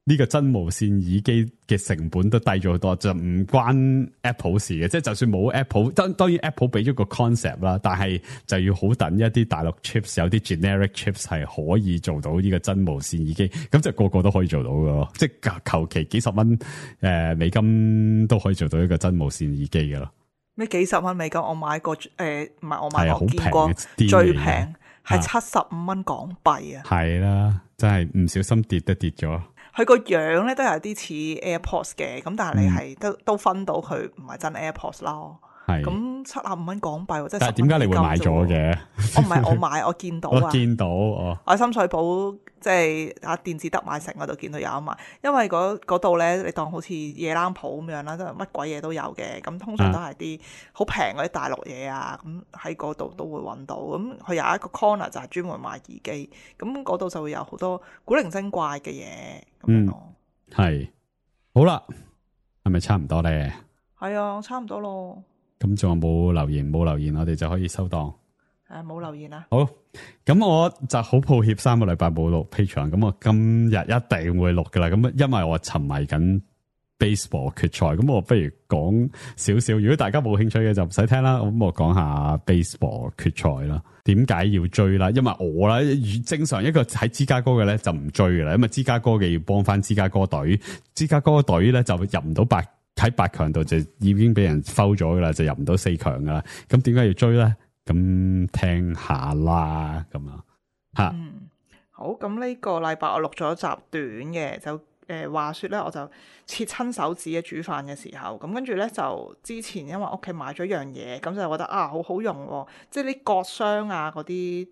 呢個真無線耳機嘅成本都低咗好多，就唔關 Apple 事嘅，即係就算冇 Apple，當然 Apple 俾咗個 concept 啦，但係就要好等一啲大陸 chips， 有啲 generic chips 係可以做到呢個真無線耳機，咁就個個都可以做到嘅咯，即係求其幾十蚊美金都可以做到一個真無線耳機嘅咯。咩幾十蚊美金？我買過唔係我買過，好見過最平係75蚊港幣啊！係啦，真係唔小心跌咗。佢個樣咧都有啲似 AirPods 嘅，咁但係你係都分到佢唔係真 AirPods 咯。係咁75蚊港幣，即係。但係點解你會買咗嘅？我唔係我買，我見到啊。我見到哦。我喺深水埗即係電子特賣城嗰度見到有得賣，因為嗰度咧你當好似夜冷鋪咁樣啦，即係乜鬼嘢都有嘅。咁通常都係啲好平嗰啲大陸嘢啊，咁喺嗰度都會揾到。咁佢有一個 corner 就係專門賣耳機，咁嗰度就會有好多古靈精怪嘅嘢咁樣咯。係好啦，係咪差唔多咧？係啊，差唔多咯。咁仲有冇留言？冇留言，我哋就可以收檔。冇留言啊。好，咁我就好抱歉3個禮拜冇錄 Patreon，咁我今日一定會錄噶啦。咁因為我沉迷緊 baseball 決賽，咁我不如講少少。如果大家冇興趣嘅就唔使聽啦。咁我講下 baseball 決賽啦。點解要追啦？因為我啦，正常一個喺芝加哥嘅咧就唔追噶啦，因為芝加哥嘅要幫翻芝加哥隊，芝加哥隊咧就入唔到喺8強度就已經俾人 foul 咗噶啦，就入唔到4強噶啦。咁點解要追咧？咁聽下啦，咁啊吓。好。咁呢個禮拜我錄咗一集短嘅，就話說咧，我就切親手指嘅煮飯嘅時候，咁跟住咧就之前因為屋企買咗樣嘢，咁就覺得好好用喎，即係啲割傷啊嗰啲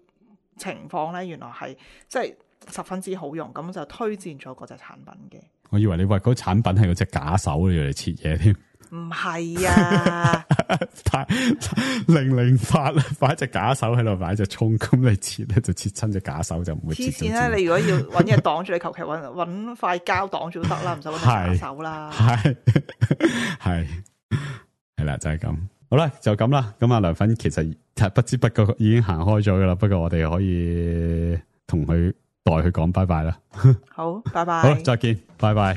情況咧，原來係即係十分之好用，咁就推薦咗嗰隻產品嘅。我以為你話嗰產品係嗰隻假手嚟切嘢添，唔係啊，008擺隻假手喺度，擺隻蔥，咁你切咧就切親隻假手就唔會切。黐線啦！你如果要搵嘢擋住，你求其搵塊膠擋住都得啦，唔使搵隻假手啦。係啦，就係咁。好啦，就咁啦。咁阿涼粉其實不知不覺已經行開咗噶啦，不過我哋可以同佢代佢講拜拜啦。好，拜拜。好，再見，拜拜。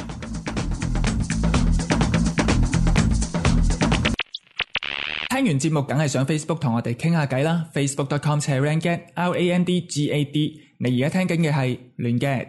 聽完節目梗係上 Facebook 同我哋傾下偈啦，facebook.com/randgad，RANDGAD。你而家聽緊嘅係亂 gad。